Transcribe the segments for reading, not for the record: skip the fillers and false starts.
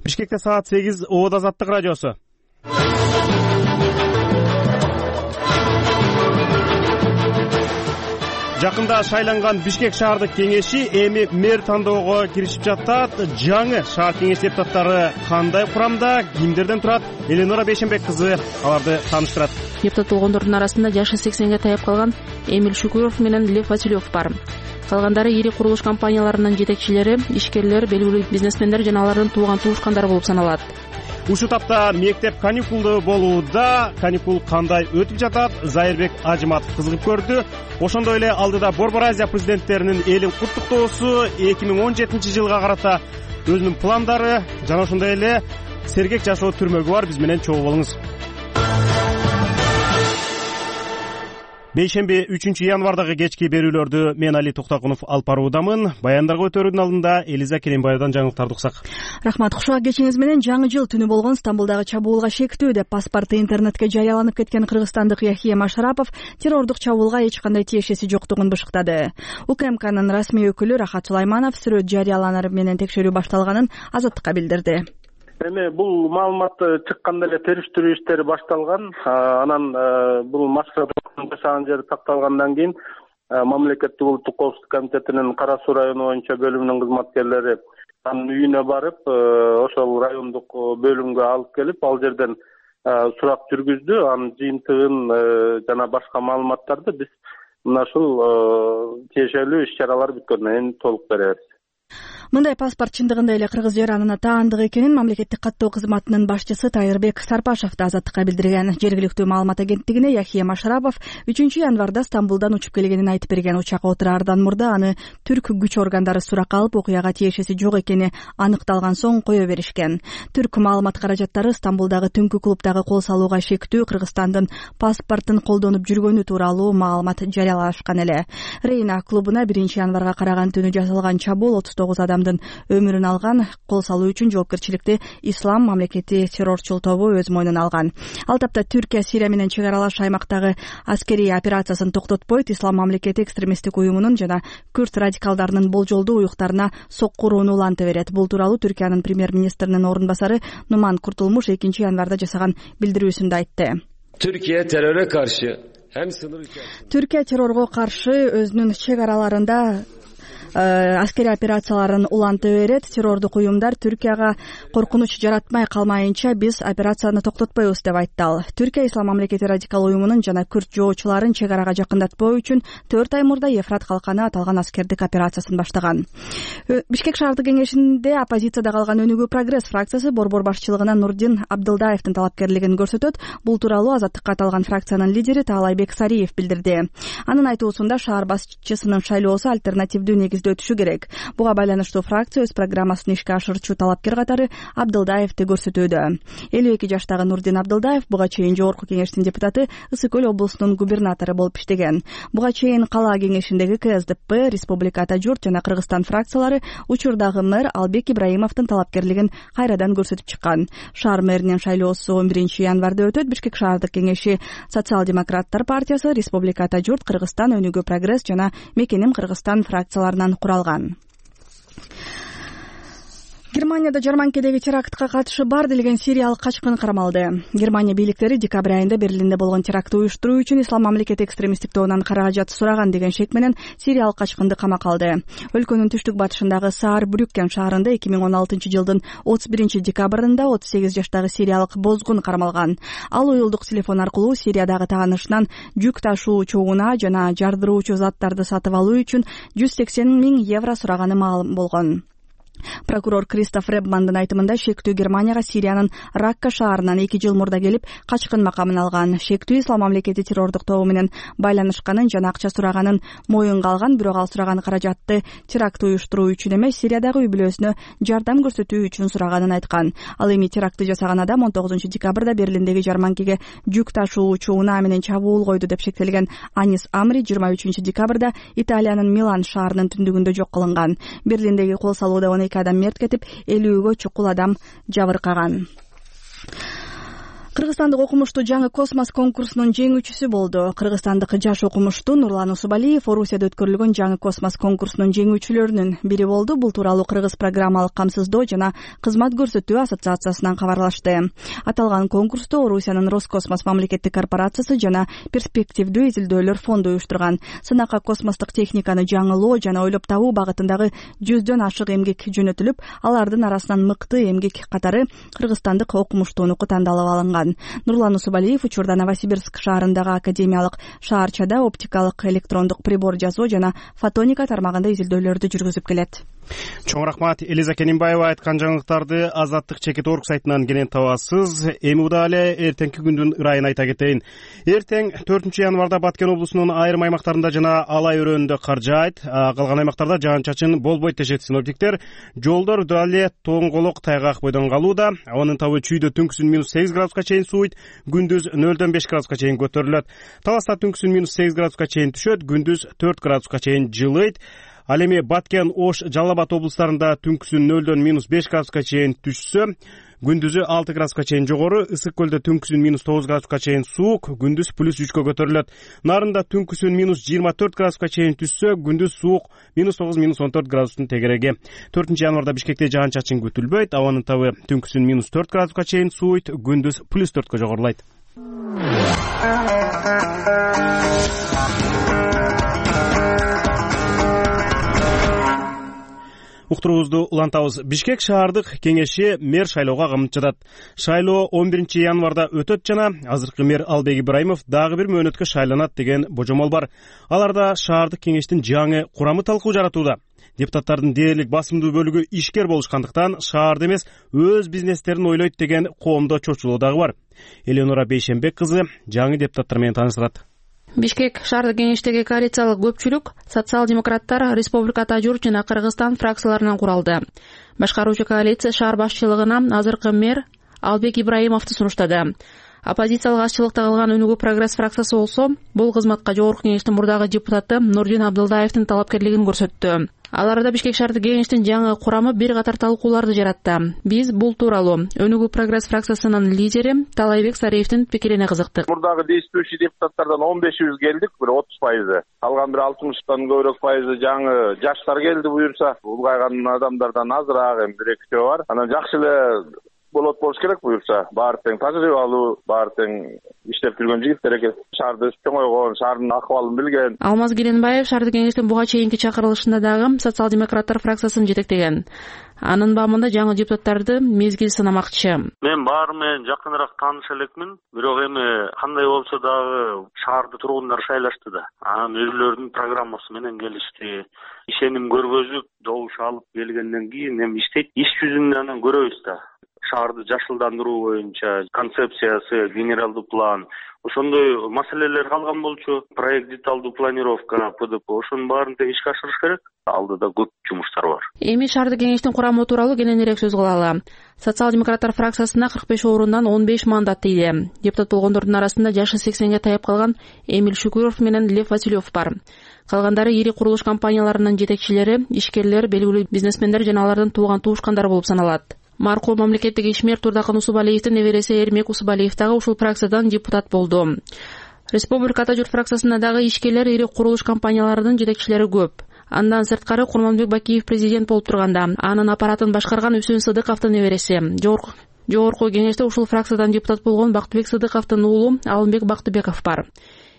Бишкекте саат 8 Обод Азаттык радиосу. Жакында шайланган Бишкек шаардык кеңеши эми мэр тандоого киришип жатат. Жаңы шаар кеңеш депутаттары кандай курамда, кимдерден турат? Эленора Бейшенбек кызы аларды тааныштырат. Депутат болгондордун арасында жашы 80ге таяп калган Эмиль Шукуров менен Лев Василев бар. Калгандары ири курулуш компанияларынын жетекчилери, ишкерлер, белгилүү бизнесмендер жана алардын тууган-туушкандары болуп саналат. Ушул тапта мектеп каникулду болууда. Каникул кандай өтүп жатат? Зайырбек Ажыматов кызыгып көрдү. Ошондой эле алдыда Борбор Азия президенттеринин элин куттуктоосу, 2017 жылга карата өзүнүн пландары жана ошондой эле сергек жашоо түрмөгү бар. Биз менен чогуу болуңуз. Бейшемби 3-январдагы кечки берүүлөрдү мен Али Токтогунов алып баруудамын. Баяндарга өтөрүнүн алдында Элиза Керимбаевдан жаңылыктарды уксак. Рахмат. Кушак кечиңиз менен жаңы жыл түнү болгон Стамбулдагы чабуулга шектүү деп паспорту интернетке жарыяланып кеткен кыргызстандык Яхия Машарапов террордук чабуулга эч кандай тиешеси жоктугун бышыктады. УКМКнын расмий өкүлү Рахат Сулайманов сүрөт жарыяланары менен текшерүү башталганын Азаттыкка билдирди. Эми бул маалымат чыкканда эле териштирүү иштери башталган. Анан бул Машараповдун жашаган жери такталгандан кийин Мамлекеттик улуттук коопсуздук комитетинин Кара Суу району боюнча бөлүмүнүн кызматкерлери анын үйүнө барып, ошол райондук бөлүмгө алып келип, ал жерден сурак жүргүздү. Анын жыйынтыгын жана башка маалыматтарды биз мына ушул тиешелүү иш-чаралар бүткөндөн кийин толук беребиз. Мындай паспорт чындыгында эле кыргыз жаранына таандык экенин мамлекеттик каттоо кызматынын башчысы Тайырбек Сарпашов да Азаттыкка билдирген. Жергиликтүү маалымат агенттигине Яхия Машарапов 3-январда Стамбулдан учуп келгенин айтып берген. Учакка отураардан мурда аны түрк күч органдары сурак алып, окуяга тиешеси жок экени аныкталган соң кое беришкен. Түрк маалымат каражаттары Стамбулдагы түнкү клубдагы кол салууга шектүү Кыргызстандын паспортун колдонуп жүргөнү тууралуу маалымат жарыялашкан эле. Рейна клубуна 1-январга караган түнү жасалган чабуул 39 адамдын өмүрүн алган. Кол салуу үчүн жоопкерчиликти Ислам мамлекети террорчул тобу өз мойнуна алган. Ал тапта Түркия Сирия менен чек аралаш аймактагы аскерий операциясын токтотпойт, Ислам мамлекети экстремисттик уюмунун жана күрд радикалдарынын болжолдуу уюктарына соккурууну уланта берет. Бул тууралуу Түркиянын премьер-министринин орун басары Нуман Куртулмуш 2-январда жасаган билдирүүсүндө айтты. Түркия террорго каршы өзүнүн чек араларында аскерий операцияларын уланта берет. Террордук уюмдар Түркияга коркунуч жаратмай калмайынча биз операцияны токтотпойбуз деп айтты ал. Түркия Ислам мамлекети радикал уюмунун жана күрд жоочуларын чек арага жакындатпоо үчүн 4 ай мурда Ефрат калканы аталган аскердик операциясын баштаган. Бишкек шаардык кеңешинде оппозицияда калган Өнүгүү прогресс фракциясы борбор башчылыгына Нурдин Абдылдаевдин талапкерлигин көрсөтөт. Бул тууралуу Азаттыкка аталган фракциянын лидери Таалайбек Сариев билдирди. Анын айтуусунда шаар башчысынын шайлоосу альтернативдүү негизде өтүшү керек. Буга байланыштуу фракция өз программасын ишке ашырчу талапкер катары Абдылдаевди көрсөтүүдө. 52 жаштагы Нурдин Абдылдаев буга чейин жогорку кеңештин депутаты, Ысык Көл облусунун губернатору болуп иштеген. Буга чейин кала кеңешиндеги КСДП, Республика Ата Журт жана Кыргызстан фракциялары учурдагы мэр Албек Ибраимовдун талапкерлигин кайрадан көрсөтүп чыккан. Шаар мэринин шайлоосу 11-январда өтөт. Бишкек шаардык кеңеши Социал-демократтар партиясы, Республика Ата Журт, Кыргызстан, Өнүгүү прогресс жана Мекеним Кыргызстан фракцияларынан куралган. Германияда жарманкедеги терактка катышы бар делген сириялык качкын кармалды. Германия бийликтери декабрь айында Берлинде болгон терактты уюштуруу үчүн Ислам мамлекети экстремисттик тобунан каражат сураган деген шек менен сириялык качкынды камакка алды. Өлкөнүн түштүк батышындагы Саар-Брюккен шаарында 2016 жылдын 31 декабрында 38 жаштагы сириялык бозгун кармалган. Ал уюлдук телефон аркылуу Сириядагы таанышынан жүк ташуучу унаа жана жардыруучу заттарды сатып алуу үчүн 180 000 евро сураганы маалым болгон. Прокурор Кристоф Ребмандын айтымында шектүү Германияга Сириянын Ракка шаарынан 2 жыл мурда келип качкын макамын алган. Шектүү Ислам мамлекети террордук тобу менен байланышканын жана акча сураганын моюнга алган, бирок ал сураган каражатты терактты уюштуруу үчүн эмес, Сириядагы үй-бүлөсүнө жардам көрсөтүү үчүн сураганын айткан. Ал эми терактты жасаган адам 19 декабрда Берлиндеги жарманкеге жүк ташуучу унаа менен чабуул койду деп шектелген Анис Амри 23 декабрда Италиянын Милан шаарынын түндүгүндө жок кылынган. Берлиндеги кол салууда 12 адам мерт кетип, 50-гө чукул адам жабыркаган. Кыргызстандык окумуштуу жаңы космос конкурсунун жеңүүчүсү болду. Кыргызстандык жаш окумуштуу Нурлан Усубалиев Орусияда өткөрүлгөн жаңы космос конкурсунун жеңүүчүлөрүнүн бири болду. Бул тууралуу Кыргыз программалык камсыздоо жана кызмат көрсөтүү ассоциациясынан кабарлашты. Аталган конкурсту Орусиянын Роскосмос мамлекеттик корпорациясы жана перспективдүү изилдөөлөр фонду уюштурган. Сынакка космостук техниканы жаңылоо жана ойлоп табуу багытындагы 100дөн ашык эмгек жөнөтүлүп, алардын арасынан мыкты эмгек катары кыргызстандык окумуштуунуку тандалып алынган. Нурлан Усубалиев учурда Новосибирск шаарындагы академиялык шаарчада оптикалык электрондук прибор жасоо жана фотоника тармагында изилдөөлөрдү жүргүзүп келет. Чоң рахмат. Элиза Кенимбаева айткан жаңылыктарды Азаттык чекит орг сайтынан кенен табасыз. Эми удаа эртеңки күндүн ырайын айта кетейин. Эртең 4-январда Баткен облусунун айрым аймактарында жана Алай өрөөнүндө кар жаайт. Калган аймактарда жаан-чачын болбойт дешет синоптиктер. Жолдор дале тоңголок тайгак бойдон калууда. Абанын табы чүйдө түнкүсүн -8 градуска чейин сууйт, күндүз 0-дөн 5 градуска чейин көтөрүлөт. Таласта түнкүсүн -8 градуска чейин түшөт, күндүз 4 градуска чейин жылыйт. Ал эми Баткен, Ош, Жалал Абад облустарында түнкүсүн 0-дөн -5 градуска чейин түшсө, күндүзү 6 градуска чейин жогору, Ысык көлдө түнкүсүн -9 градуска чейин суук, күндүз +3кө көтөрүлөт. Нарында түнкүсүн -24 градуска чейин түшсө, күндүз суук -9-14 градустун тегереги. 4-январда Бишкекте жаан-чачын күтүлбөйт. Абанын табы түнкүсүн -4 градуска чейин сууйт, күндүз +4кө жогорулайт. Уктуруубузду улантабыз. Бишкек шаардык кеңеши мэр шайлоого камып жатат. Шайлоо 11-январда өтөт жана азыркы мэр Албек Ибраимов дагы бир мөөнөткө шайланат деген божомол бар. Аларда шаардык кеңештин жаңы курамы талкуу жаратууда. Депутаттардын дээрлик басымдуу бөлүгү ишкер болушкандыктан шаарды эмес, өз бизнестерин ойлойт деген коомдо чочулоо дагы бар. Элеонора Бейшенбек кызы жаңы депутаттар менен тааныштырат. Бишкек шаардык кеңештеги коалициялык көпчүлүк социал-демократтар, Республика Журт жана Кыргызстан фракцияларынан куралды. Башкаруучу коалиция шаар башчылыгына азыркы мэр Албек Ибраимовду сунуштады. Оппозициялык азчылыкта калган Өнүгүү Прогресс фракциясы болсо бул кызматка жогорку кеңештин мурдагы депутаты Нурдин Абдылдаевдин талапкерлигин көрсөттү. Аларда Бишкек шаардык кеңештин жаңы курамы бир катар талкууларды жаратты. Биз бул тууралуу Өнүгүү Прогресс фракциясынын лидери Талайбек Сариевдин пикирине кызыктык. Мурдагы действующий депутаттардан 15 келдик, бир 30%. Калган бир 60-тан көбүрөөк пайызы жаңы жаштар келди буюрса. Улгайган адамдардан азыраак эми 1-2 бар. Анан жакшы эле болот болуш керек буюрса. Баары тең тажрыйбалуу, баары тең иштеп жүргөн жигиттер экен. Шаарды чоңойгон, шаардын акыбалын билген. Алмаз Керенбаев шаардык кеңештин буга чейинки чакырылышында дагы социал-демократтар фракциясын жетектеген. Анын баамында жаңы депутаттарды мезгил сынамакчы. Мен баары менен жакыныраак тааныш элекмин, бирок эми кандай болсо дагы шаарды тургундар шайлашты да. Анан өзүлөрүнүн программасы менен келишти. Ишеним көргөзүп, добуш алып келгенден кийин эми иштейт. Иш жүзүндө анан көрөбүз да. Шаарды жашылдандыруу боюнча концепциясы, генералдуу план, ошондой маселелер калган болчу. Проект деталдуу планировка, ПДП, ошонун баарын тең ишке ашырыш керек. Алдыда көп жумуштар бар. Эми шаардык кеңештин курамы тууралуу кененирээк сөз кылалы. Социал-демократтар фракциясына 45 орундан 15 мандат тийди. Депутат болгондордун арасында жашы 80ге таяп калган Эмиль Шукуров менен Лев Василев бар. Калгандары ири курулуш компанияларынын жетекчилери, ишкерлер, белгилүү бизнесмендер жана алардын тууган туушкандары болуп саналат. Маркум мамлекеттик ишмер Турдакын Усубалиевдин небереси Эрмек Усубалиев дагы ушул фракциядан депутат болду. Республика Журт фракциясында дагы ишкерлер, ири курулуш компанияларынын жетекчилери көп. Андан сырткары Курманбек Бакиев президент болуп турганда, анын аппаратын башкарган Үсүн Сыдыковдун небереси. Жогорку кеңеште ушул фракциядан депутат болгон Бактыбек Сыдыковдун уулу Алымбек Бактыбеков бар.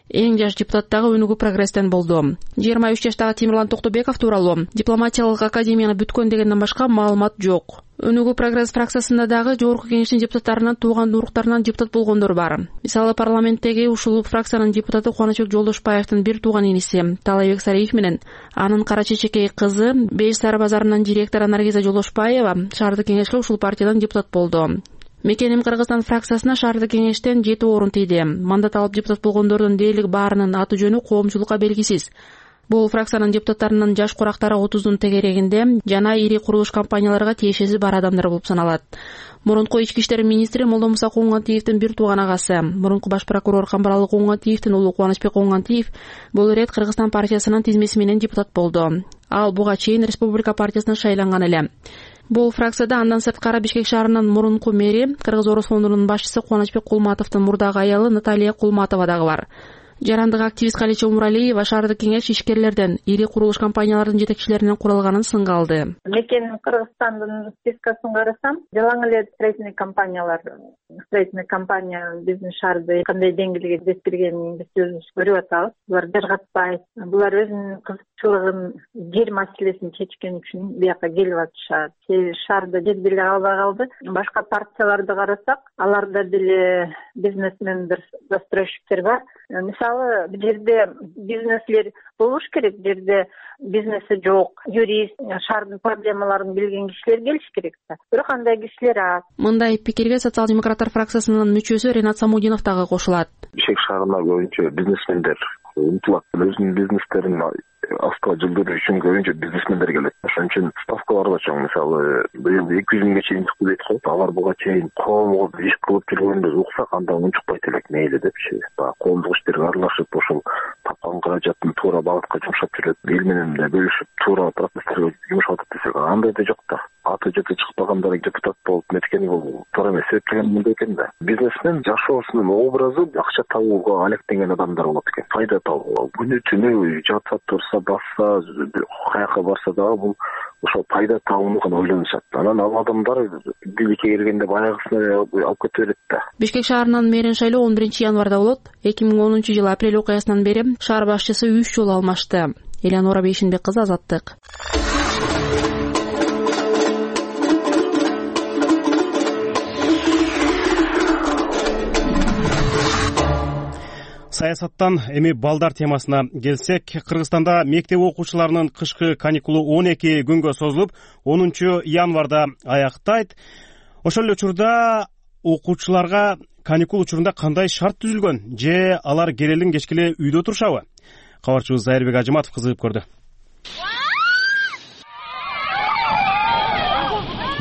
Эң жаш депутат дагы Өнүгүү Прогресстен болду. 23 жаштагы Темирлан Токтобеков тууралуу дипломатиялык академияны бүткөн дегенден башка маалымат жок. Өнүгүү Прогресс фракциясында дагы жогорку кеңештин депутаттарынан тууган уруктарынан депутат болгондор бар. Мисалы парламенттеги ушул фракциянын депутаты Кубанычбек Жолдошбаевдин бир тууган иниси Талайбек Сариев менен анын кара чечекей кызы Беш Сары базарынын директору Наргиза Жолдошбаева шаардык кеңешке ушул партиядан депутат болду. Мекеним Кыргызстан фракциясына шаардык кеңештен 7 орун тийди. Мандат алып депутат болгондордун дээрлик баарынын аты жөнү коомчулукка белгисиз. Бул фракциянын депутаттарынын жаш курактары 30дун тегерегинде жана ири курулуш компанияларга тиешеси бар адамдар болуп саналат. Мурунку ички иштер министри Молдомуса Куугантиевдин бир тууган агасы, мурунку баш прокурор Камбаралы Куугантиевдин уулу Кубанычбек Куугантиев бул ирет Кыргызстан партиясынын тизмеси менен депутат болду. Ал буга чейин Республика партиясына шайланган эле. Бул фракцияда андан сырткары Бишкек шаарынын мурунку мэри, Кыргыз-Орус фондунун башчысы Кубанычбек Кулматовдун мурдагы аялы Наталья Кулматова дагы бар. Жарандык активист Калича Умуралиева шаардык кеңеш ишкерлерден, ири курулуш компанияларынын жетекчилеринен куралганын сынга алды. Мен Кыргызстандын спискасын карасам, жалаң эле строительный компания биздин шаарды кандай деңгээлге жеткирип бергенин биз өзүбүз көрүп атабыз. Булар жыргатпайт. Булар өзүнүн кызыкчылыгын, жер маселесин чечкен үчүн бияка келип атышат. Шаарда жер деле албай калды. Башка партияларды карасак, аларда деле бизнесмендер, застройщиктер бар. Мисалы, бул жерде бизнеслер болуш керек, жерде бизнеси жок, юрист, шаардын проблемаларын билген кишилер келиш керек да. Бирок андай кишилер аз. Мындай пикирге социал-демократтар фракциясынын мүчөсү Ренат Самудинов дагы кошулат. Бишкек шаарына көбүнчө бизнесмендер умтулат, өзүнүн бизнестерин астыга жылдыруу үчүн көбүнчө бизнесмендер келет. Ошон үчүн ставкалар да чоң. Мисалы, быйыл 200 миңге чейин чыкты дейт го. Алар буга чейин коомго иш кылып жүргөндө уксак, анда унчукпайт элек мейли депчи. Коомдук иштерге аралашып, ошол тапкан каражатын туура багытка жумшап жүрөт. Эл менен да бөлүшүп, туура процесстерге жумшап атат десек, андай да жок да. Аты жети чыкпагандар депутат болуп неткени бул туура эмес. Себеби мындай экен да. Бизнесмен жашоосунун образы акча табууга алектенген адамдар болот экен. Пайда табууга. Күнү түнү жатса турса, бassa, каяка барса дагы бул ошол пайда табууну гана ойлонушат. Анан ал адамдар бийликке келгенде баягысына алып кете берет да. Бишкек шаарынын мэрин шайлоо 11 январда болот. 2010-жылы апрель окуясынан бери шаар башчысы 3 жолу алмашты. Элеонора Бейшинбек кызы, Азаттык. Саясаттан эми балдар темасына келсек, Кыргызстанда мектеп окуучуларынын кышкы каникулу 12 күнгө созулуп, 10 январда аяктайт. Ошол эле учурда окуучуларга каникул учурунда кандай шарт түзүлгөн, же алар керелин кечкеле үйдө турушабы? Кабарчыбыз Зайырбек Ажыматов кызыгып көрдү.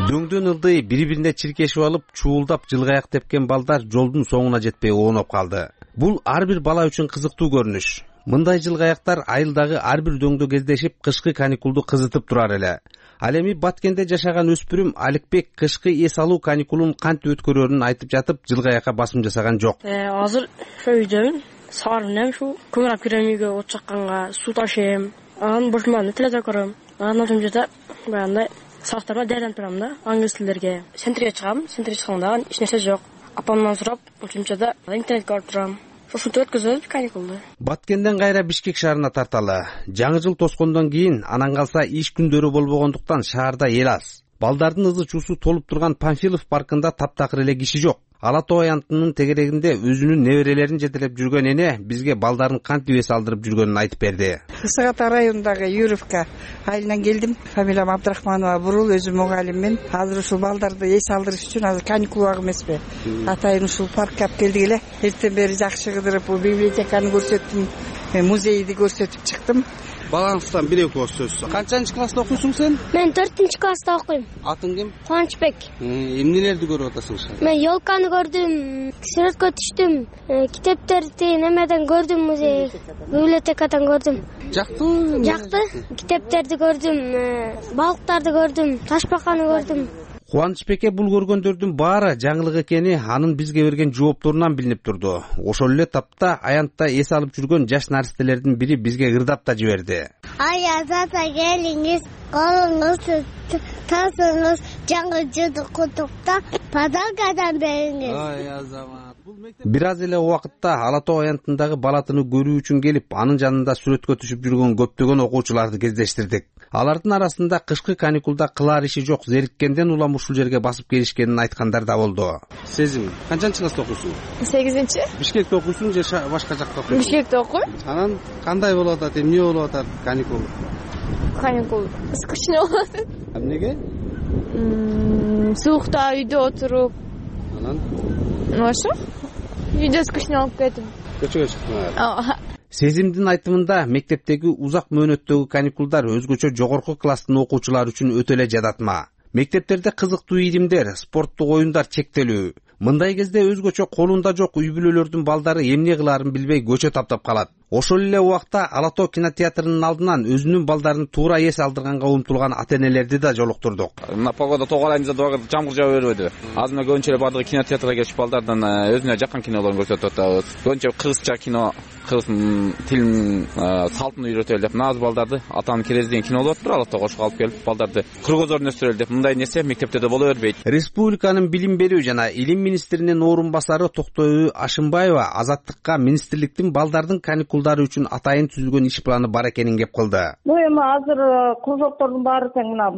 Дөңдөн ылдый бири-бирине чиркешип алып, чуулдап жылгаяк тепкен балдар жолдун соңуна жетпей оонуп калды. Бул ар бир бала үчүн кызыктуу көрүнүш. Мындай жылгаяктар айылдагы ар бир дөңдө кездешип, кышкы каникулду кызытып турар эле. Ал эми Баткенде жашаган өспүрүм Аликбек кышкы эс алуу каникулун кантип өткөрөрүн айтып жатып, жылгаякка басым жасаган жок. Азыр ошо үйдөмүн. Саарынем ушу көмүрап кирем үйгө, от чакканга суу ташыйм. Анан бошуман телевизор көрөм. Анан ошон жерде баягындай сабактарга даярданып турам да, англис тилдерге. Центрге чыгам, центрге чыкканда эч нерсе жок. Апамдан сурап, ошончада интернетке барып турам. Ушинтип өткөзөбүз каникулду. Баткенден кайра Бишкек шаарына тарталы. Жаңы жыл тоскондон кийин, анан калса иш күндөрү болбогондуктан шаарда эл аз. Балдардын ызы чуусу толуп турган Панфилов паркында таптакыр эле киши жок. Ала Тоо аянтынын тегерегинде өзүнүн неберелерин жетелеп жүргөн эне бизге балдарын кантип эс алдырып жүргөнүн айтып берди. Ысык Ата районундагы Юровка айылынан келдим. Фамилиям Абдрахманова Бурул, өзүм мугалиммин. Азыр ушул балдарды эс алдырыш үчүн азыр каникул убагы эмеспи? Атайын ушул паркка алып келдик эле. Эртен бери жакшы кыдырып, библиотеканы көрсөттүм, музейди көрсөтүп чыктым. Балаңыздан бир экөө сөз. Канчанчы класста окуйсуң сен? Мен 4-класста окуйм. Атың ким? Кубанычбек. Эмнелерди көрүп атасың сен? Мен ёлканы көрдүм, сүрөткө түштүм, китептерди немеден көрдүм, музей, библиотекадан көрдүм. Жактыбы? Жакты. Китептерди көрдүм, балыктарды көрдүм, ташбаканы көрдүм. Кубанычбекке бул көргөндөрдүн баары жаңылык экени анын бизге берген жоопторунан билинип турду. Ошол эле тапта аянтта эс алып жүргөн жаш наристелердин бири бизге ырдап да жиберди. Ай азата келиңиз, колуңуз тасыңыз, жаңы жылды куттуктап, подаркадан бериңиз. Ай азамат. Бир аз эле убакытта Ала Тоо аянтындагы балатыны көрүү үчүн келип, анын жанында сүрөткө түшүп жүргөн көптөгөн окуучуларды кездештирдик. Алардын арасында кышкы каникулда кылар иши жок, зериккенден улам ушул жерге басып келишкенин айткандар да болду. Сезим, канчанчы класста окуйсуң? 8-чи. Бишкекте окуйсуң же башка жакта окуйсуң? Бишкекте окуйм. Анан кандай болуп атат, эмне болуп атат каникул? Каникул скучно болот. Эмнеге? Суукта үйдө отуруп. Анан? Ошо? Үйдө скучно болуп кетип. Көчөгө чыктың. Сезимдин айтымында мектептеги узак мөөнөттөгү каникулдар өзгөчө жогорку класстын окуучулары үчүн өтө эле жадатма. Мектептерде кызыктуу ийримдер, спорттук оюндар чектелүү. Мындай кезде өзгөчө колунда жок үй бүлөлөрдүн балдары эмне кылаарын билбей көчө таптап калат. Ошол эле убакта Ала Тоо кинотеатрынын алдынан өзүнүн балдарын туура эс алдырганга умтулган ата-энелерди да жолуктурдук. Мына погода тоо айында дагы жамгыр жаап бербөдү. Азыр мына көбүнчө бардыгы кинотеатрга келип балдардан өзүнө жаккан кинолорун көрсөтүп атабыз. Көбүнчө кыргызча кино, кыргыз тилин салтын үйрөтөлү деп наз балдарды атанын керези деген кино болуп атпыр. Ала Тоого ошого алып келип балдарды кыргызорун өстүрөлү деп мындай нерсе мектепте да боло бербейт. Республиканын билим берүү жана илим министринин орун басары Токтоюу Ашымбаева Азаттыкка министрликтин балдардын каникулдары үчүн атайын түзүлгөн иш планы бар экенин кеп кылды. Эми азыр кружоктордун баары тең мына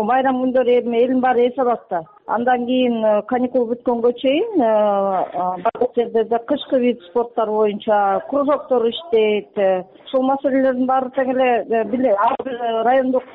байрам күндөрү элдин баары эс алат да. Андан кийин каникул бүткөнгө чейин бардык жерде кышкы вид спорттор боюнча кружоктор иштейт. Ушул маселелердин баары тең эле ар бир райондук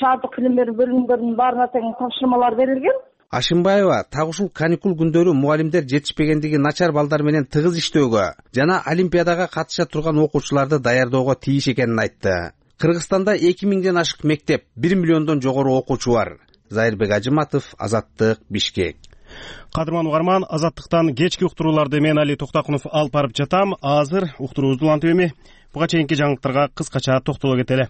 шаардык билим берүү бөлүмдөрүнүн баарына тең тапшырмалар берилген. Ашымбаева так ушул каникул күндөрү мугалимдер жетишпегендиги начар балдар менен тыгыз иштөөгө жана олимпиадага катыша турган окуучуларды даярдоого тийиш экенин айтты. Кыргызстанда 2000ден ашык мектеп, 1 миллиондон жогору окуучу бар. Зайырбек Ажыматов, Азаттык, Бишкек. Кадырман угарман, Азаттыктан кечки уктурууларды мен Али Токтакунов алып барып жатам. Азыр уктуруубузду улантып эми буга чейинки жаңылыктарга кыскача токтоло кетели.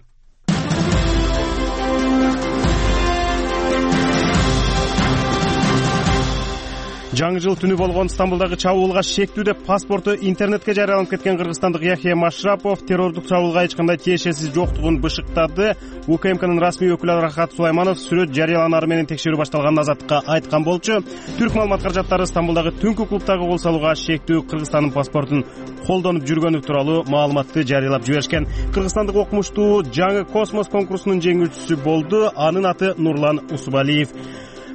Жаңы жыл түнү болгон Стамбулдагы чабуулга шектүү деп паспорту интернетке жарыяланып кеткен кыргызстандык Яхия Машрапов террордук чабуулга эч кандай тиешеси жоктугун бышыктады. УКМКнын расмий өкүлү Рахат Сулайманов сүрөт жарыяланары менен текшерүү башталганын Азаттыкка айткан болчу. Түрк маалымат каражаттары Стамбулдагы түнкү клубдагы кол салууга шектүү Кыргызстандын паспортун колдонуп жүргөнү тууралуу маалыматты жарыялап жиберишкен. Кыргызстандык окумуштуу жаңы космос конкурсунун жеңүүчүсү болду. Анын аты Нурлан Усубалиев.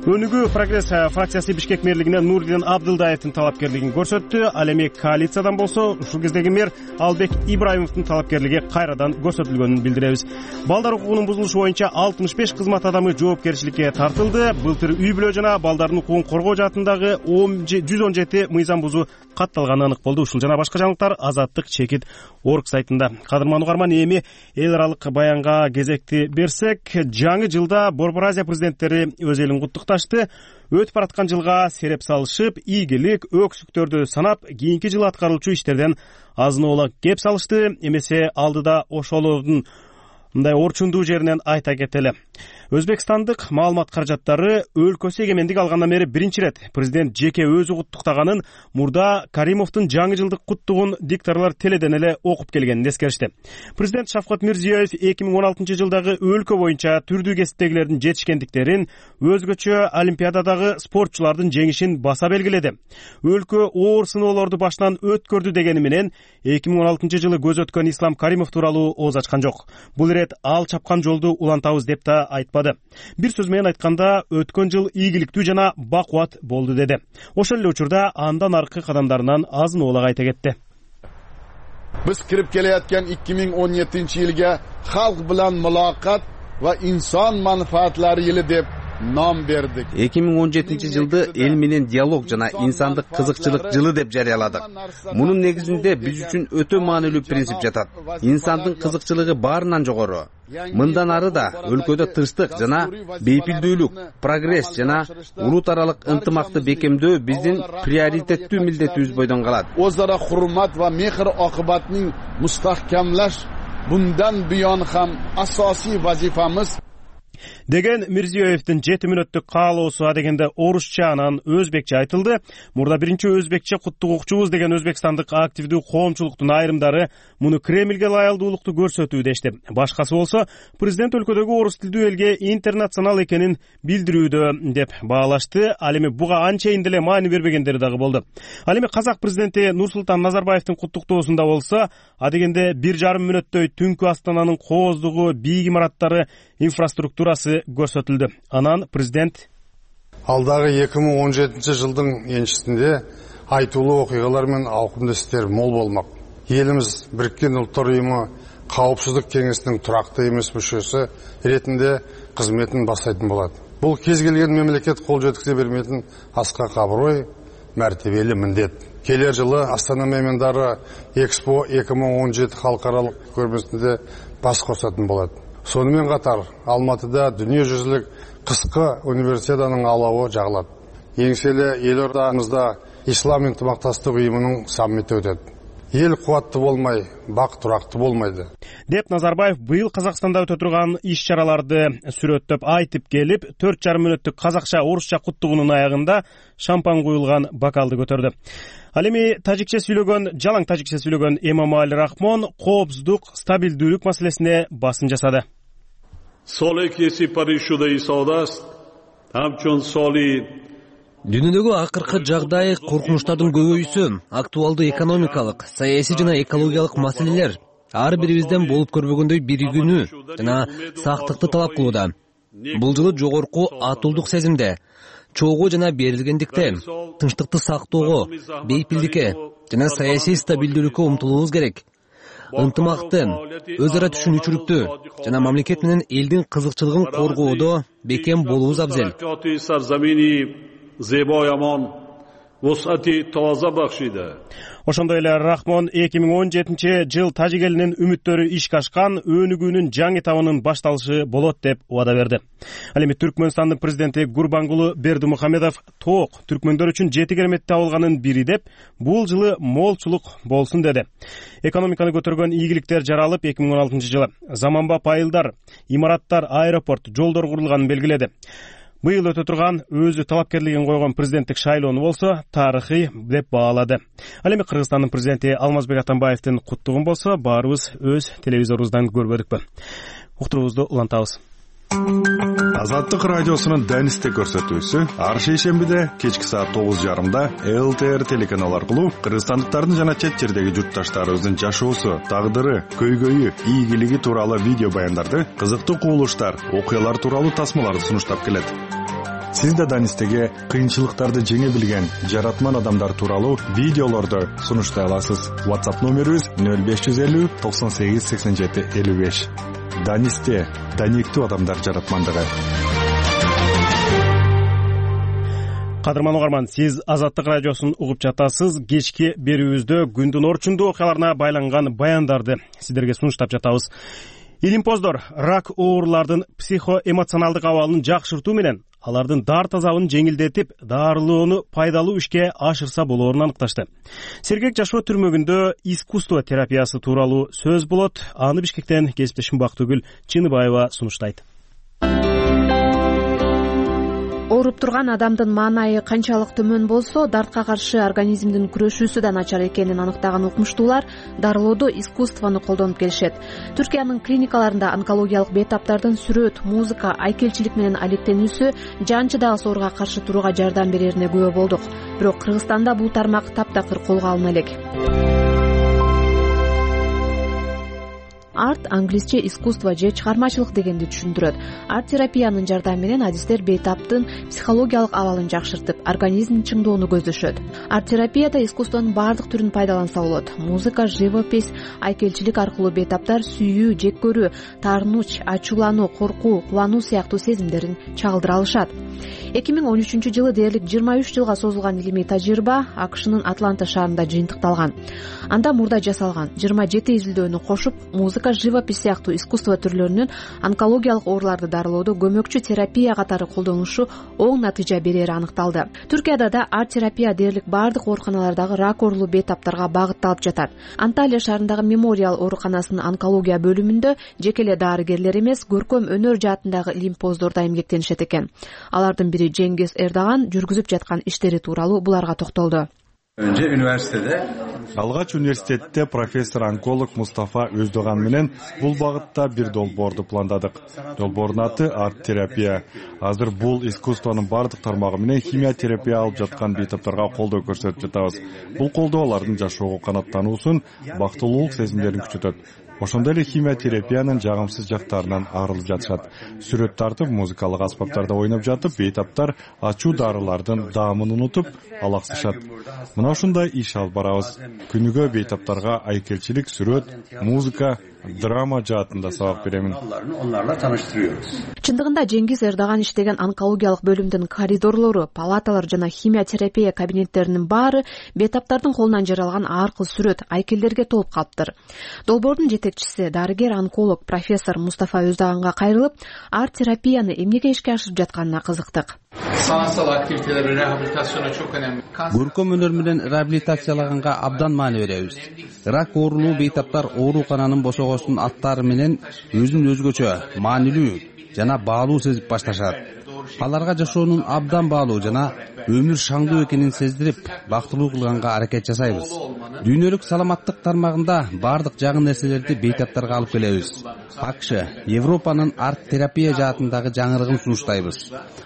Өнүгүү прогресс фракциясы Бишкек мэрлигине Нурдин Абдылдаевдин талапкерлигин көрсөттү. Ал эми коалициядан болсо, ушул кездеги мэр Албек Ибраимовдун талапкерлиги кайрадан көрсөтүлгөнүн билдиребиз. Балдар укугунун бузулушу боюнча 65 кызмат адамы жоопкерчиликке тартылды. Былтыр үй бүлө жана балдардын укугун коргоо жаатындагы 117 мыйзам бузуу катталганы анык болду. Ушул жана башка жаңылыктар Азаттык чекит орг сайтында. Кадырман угарман, эми эл аралык баянга кезекти берсек, жаңы жылда Борбор Азия президенттери өз элин куттукташты. Өтүп бараткан жылга сереп салышып, ийгилик, өксүктөрдү санап, кийинки жылы аткарылчу иштерден азын-оолак кеп салышты. Эмесе алдыда ошолордун мындай орчундуу жеринен айта кетели. Өзбекстандык маалымат каражаттары өлкөсү эгемендик алгандан бери биринчи ирет президент жеке өзү куттуктаганын, Мурда Каримовдун жаңы жылдык куттугун дикторлор теледен эле окуп келгенин эскеришти. Президент Шавкат Мирзиёев 2016 жылдагы өлкө боюнча түрдүү кесиптегилердин жетишкендиктерин, өзгөчө олимпиададагы спортчулардын жеңишин баса белгиледи. Өлкө оор сыноолорду башынан өткөрдү дегени менен 2016 жылы көз өткөн Ислам Каримов тууралуу ооз ачкан жок. Бул ирет ал чапкан жолду улантабыз деп да айтпады. Бир сөз менен айтканда, өткөн жыл ийгиликтүү жана бакубат болду деди. Ошол эле учурда андан аркы кадамдарынан азын-оолак айта кетти. Биз кирип келаткан 2017-жылга халк билан мулакат ва инсон манфаатлары йыlı деп ном бердик. 2017 жылды эл менен диалог жана инсандык кызыкчылык жылы деп жарыяладык. Мунун негизинде биз үчүн өтө маанилүү принцип жатат. Инсандын кызыкчылыгы баарынан жогору. Мындан ары да өлкөдө тынчтык жана бейпилдүүлүк, прогресс жана улут аралык ынтымакты бекемдөө биздин приоритеттүү милдетибиз бойдон калат. O'zaro hurmat va mehr oqibatning mustahkamlash bundan buyon ham asosiy vazifamiz деген Мирзиёевдин 7 мүнөттүк каалоосу адегенде орусча анан өзбекче айтылды. Мурда биринчи өзбекче куттугукчубуз деген өзбекстандык активдүү коомчулуктун айрымдары муну Кремлге лаялдуулукту көрсөтүү дешти. Башкасы болсо президент өлкөдөгү орус тилдүү элге интернационал экенин билдирүүдө деп баалашты. Ал эми буга анчейин деле маани бербегендери дагы болду. Ал эми казак президенти Нурсултан Назарбаевдин куттуктоосунда болсо, адегенде 1,5 мүнөттөй түнкү Астананын кооздугу, бийик имараттары, инфраструктурасы көрсөтүлдү. Анан президент алдагы 2017 жылдын энчисинде айтуулуу окуялар менен ауқымды истер мол болмак. Элimiz Бириккен Улуттар Уюму Каопсуздук кеңесинин турактуу эмес мүчөсү иретинде кызметін баштайтын болот. Бул кез келген мемлекет кол жеткизе бермейтин аскак аброй, мәртебелі міндет. Келер жылы Астана меймандары Экспо 2017 халыкаралык көрмесинде бас косатын болот. Сонымен қатар Алматыда дүниежүзілік қысқы универсиаданың алауы жағылады. Еңселі елордамызда Ислам ынтымақтастық ұйымының саммиті өтеді. эл кубаттуу болмай бак турактуу болмойт деп Назарбаев быйыл Казакстанда өтө турган иш-чараларды сүрөттөп айтып келип, 4,5 мүнөттүк казакча орусча куттугуунун аягында шампан куюлган бокалды көтөрдү. Ал эми жалаң тажикче сүйлөгөн Эмомали Рахмон коопсуздук, стабилдүүлүк маселесине басым жасады. Дүйнөдөгү акыркы жагдай, коркунучтардын көбөйүүсү, актуалдуу экономикалык, саясий жана экологиялык маселелер ар бирибизден болуп көрбөгөндөй биригүүнү жана сактыкты талап кылууда. Бул жылы жогорку атуулдук сезимде, чогуу жана берилгендикте, тынчтыкты сактоого, бейпилдикке жана саясий стабилдүүлүккө умтулуубуз керек. Ынтымакты, өз ара түшүнүүчүлүктү жана мамлекет менен элдин кызыкчылыгын коргоодо бекем болуубуз абзел. Ошондой эле Рахмон 2017-жыл тажик элинин үмүттөрү ишке ашкан өнүгүүнүн жаңы этабынын башталышы болот деп убада берди. Ал эми Түркмөнстандын президенти Гурбангулы Бердимухамедов тоок түркмөндөр үчүн 7 керемет табылганын бири деп, бул жылы молчулук болсун деди. Экономиканы көтөргөн ийгиликтер жаралып 2016-жылы заманбап айылдар, имараттар, аэропорт, жолдор курулганын белгиледи. Быйыл өтө турган өзү талапкерлигин койгон президенттик шайлоону болсо тарыхый деп баалады. Ал эми Кыргызстандын президенти Алмазбек Атамбаевдин куттугун болсо баарыбыз өз телевизорубуздан көрбөдүкпү. Уктуруубузду улантабыз. Азаттык радиосунун Данисте көрсөтүүсү ар шейшембиде кечки саат 9:30 ЛТР телеканалы аркылуу кыргызстандыктардын жана чет жердеги журтташтарыбыздын жашоосу, тагдыры, көйгөйү, ийгилиги тууралуу видео баяндарды, кызыктуу кубулуштар, окуялар тууралуу тасмаларды сунуштап келет. Сиз да Данистеге кыйынчылыктарды жеңе билген жаратман адамдар тууралуу видеолорду сунуштай аласыз. WhatsApp номерибиз 0550 98 87 55. Данисте, даниктүү адамдар жаратмандыгы. Кадырман угарман, сиз Азаттык радиосун угуп жатасыз. Кечки берүүбүздө күндүн орчундуу окуяларына байланган баяндарды сиздерге сунуштап жатабыз. Илимпоздор рак оорулардын психоэмоционалдык абалын жакшыртуу менен алардын дарт азабын жеңилдетип, дарылоону пайдалуу ишке ашырса болоорун аныкташты. Сергек жашоо түрмөгүндө искусство терапиясы тууралуу сөз болот. Аны Бишкектен кесиптешим Бактыгүл Чыныбаева сунуштайт. Ооруп турган адамдын маанайы канчалык төмөн болсо, дартка каршы организмдин күрөшүүсү да начар экенин аныктаган укмуштуулар дарылоодо искусствону колдонуп келишет. Түркиянын клиникаларында онкологиялык бейтаптардын сүрөт, музыка, айкелчилик менен алектенүүсү жанчыдагы сооруга каршы турууга жардам берерине күбө болдук. Бирок Кыргызстанда бул тармак таптакыр колго алына элек. Арт англисче искусство же чыгармачылык дегенди түшүндүрөт. Арт терапиянын жардамы менен адистер бейтаптын психологиялык абалын жакшыртып, организмин чыңдоону көздөшөт. Арт терапияда искусствонун баардык түрүн пайдаланса болот. Музыка, живопись, айкелчилик аркылуу бейтаптар сүйүү, жек көрүү, таарынуч, ачуулануу, коркуу, кубануу сыяктуу сезимдерин чагылдыра алышат. 2013-жылы дээрлик 23 жылга созулган илимий тажрыйба АКШнын Атланта шаарында жыйынтыкталган. Анда мурда жасалган 27 изилдөөнү кошуп, музыка, живопись сыяктуу искусство түрлөрүнүн онкологиялык ооруларды дарылоодо көмөкчү терапия катары колдонулушу оң натыйжа берери аныкталды. Түркияда да арт терапия дээрлик баардык ооруканалардагы рак оорулуу бейтаптарга багытталып жатат. Анталия шаарындагы Мемориал ооруканасынын онкология бөлүмүндө жеке эле дарыгерлер эмес, көркөм өнөр жаатындагы илимпоздор да эмгектенишет экен. Алардын бири Жеңгиз Эрдаган жүргүзүп жаткан иштери тууралуу буларга токтолду. Алгач университетте профессор-онколог Мустафа Өздөган менен бул багытта бир долбоорду пландадык. Долбоордун аты арт терапия. Азыр бул искусствонун бардык тармагы менен химия терапия алып жаткан бейтаптарга колдоо көрсөтүп жатабыз. Бул колдоо алардын жашоого канааттануусун, бактылуулук сезимдерин күчөтөт. Ошондой эле химия терапиянын жагымсыз жактарынан арылып жатышат. Сүрөт тартып, музыкалык аспаптарда ойноп жатып, бейтаптар ачуу дарылардын даамын унутуп, алаксышат. Мына ушундай иш алып барабыз. Күнүгө бейтаптарга айкелчилик, сүрөт, музыка, драма жаатында сабак беремин. Чындыгында Жеңгиз Эрдаган иштеген онкологиялык бөлүмдүн коридорлору, палаталар жана химия терапия кабинеттеринин баары бейтаптардын колунан жаралган ар кыл сүрөт, айкелдерге толуп калыптыр. Долбоордун жетекчиси, дарыгер-онколог профессор Мустафа Өздаганга кайрылып, арт терапияны эмнеге ишке ашырып жатканына кызыктык. Sanatsal aktiviteler rehabilitasyona çok önemli. Көркөм өнөр менен реабилитациялаганга абдан маани беребиз. Рак оорулуу бейтаптар оорукананын босогосунун аттары менен өзүн өзгөчө, маанилүү жана баалуу сезип башташат. Аларга жашоонун абдан баалуу жана өмүр шаңдуу экенин сездирип, бактылуу кылганга аракет жасайбыз. Дүйнөлүк саламаттык тармагында бардык жагын нерселерди бейтаптарга алып келебиз. АКШ, Европанын арт-терапия жаатындагы жаңырыгын сунуштайбыз.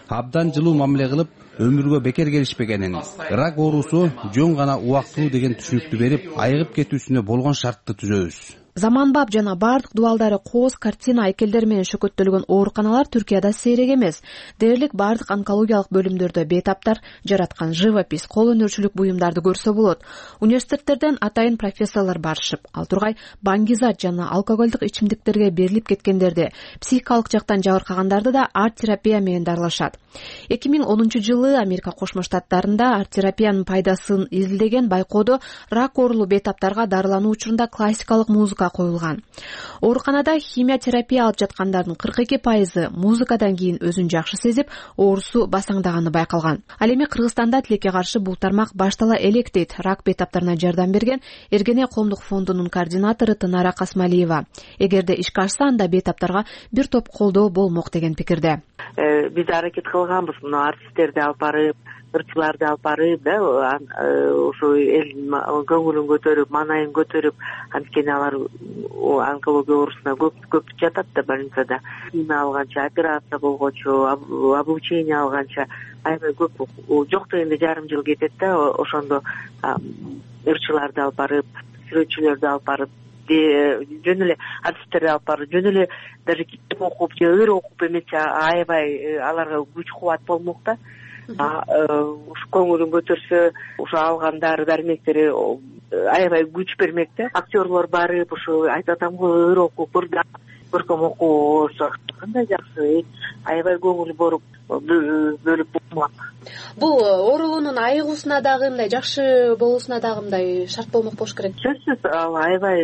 Абдан жылуу мамиле кылып, өмүргө бекер келишпегенин, рак оорусу жөн гана убактылуу деген түшүнүктү берип, айыгып кетүүсүнө болгон шартты түзөбүз. Заманбап жана бардык дубалдары кооз, картина, айкелдер менен шөкөттөлгөн ооруканалар Түркияда сейрек эмес. Дээрлик бардык онкологиялык бөлүмдөрдө бейтаптар жараткан живопись, кол өнөрчүлүк буюмдарды көрсө болот. Университеттерден атайын профессорлор барышып, ал тургай баңгизат жана алкоголдук ичимдиктерге берилип кеткендерди, психикалык жактан жабыркагандарды да арт-терапия менен дарылашат. 2010-жылы Америка Кошмо Штаттарында арт-терапиянын пайдасын изилдеген байкоодо рак оорулуу бейтаптарга дарылануу учурунда классикалык музыка коюлган. Ооруканада химия терапия алып жаткандардын 42% музыкадан кийин өзүн жакшы сезип, оорусу басаңдаганы байкалган. Ал эми Кыргызстанда тилекке каршы бул тармак баштала элек дейт рак бейтаптарына жардам берген Эргене коомдук фондунун координатору Тынара Касмалиева. Эгерде ишке ашса, анда бейтаптарга бир топ колдоо болмок деген пикирде. Биз аракет кылганбыз, мына артисттерди алып барып, ырчыларды алып барып, да, ошо элдин көңүлүн көтөрүп, маанайын көтөрүп, анткени алар онкология оорусуна көп жатат да больницада. Химия алганча, операция болгончо, облучение алганча аябай көп, жок дегенде жарым жыл кетет да, ошондо ырчыларды алып барып, сүрөтчүлөрдү алып барып, жөн эле артисттерди алып барып, жөн эле даже китеп окуп же ыр окуп эмес, аябай аларга күч кубат болмок да. Ушу көңүлүн көтөрсө, ушу алган дары дармектери аябай күч бермек да. Актерлор барып, ушу айтып атам го, ыр окуп, көркөм окуу кандай жакшы, аябай көңүл бөлүп болмок. Бул оорулуунун айыгуусуна дагы мындай жакшы болуусуна дагы мындай шарт болмок болуш керек. Сөзсүз ал аябай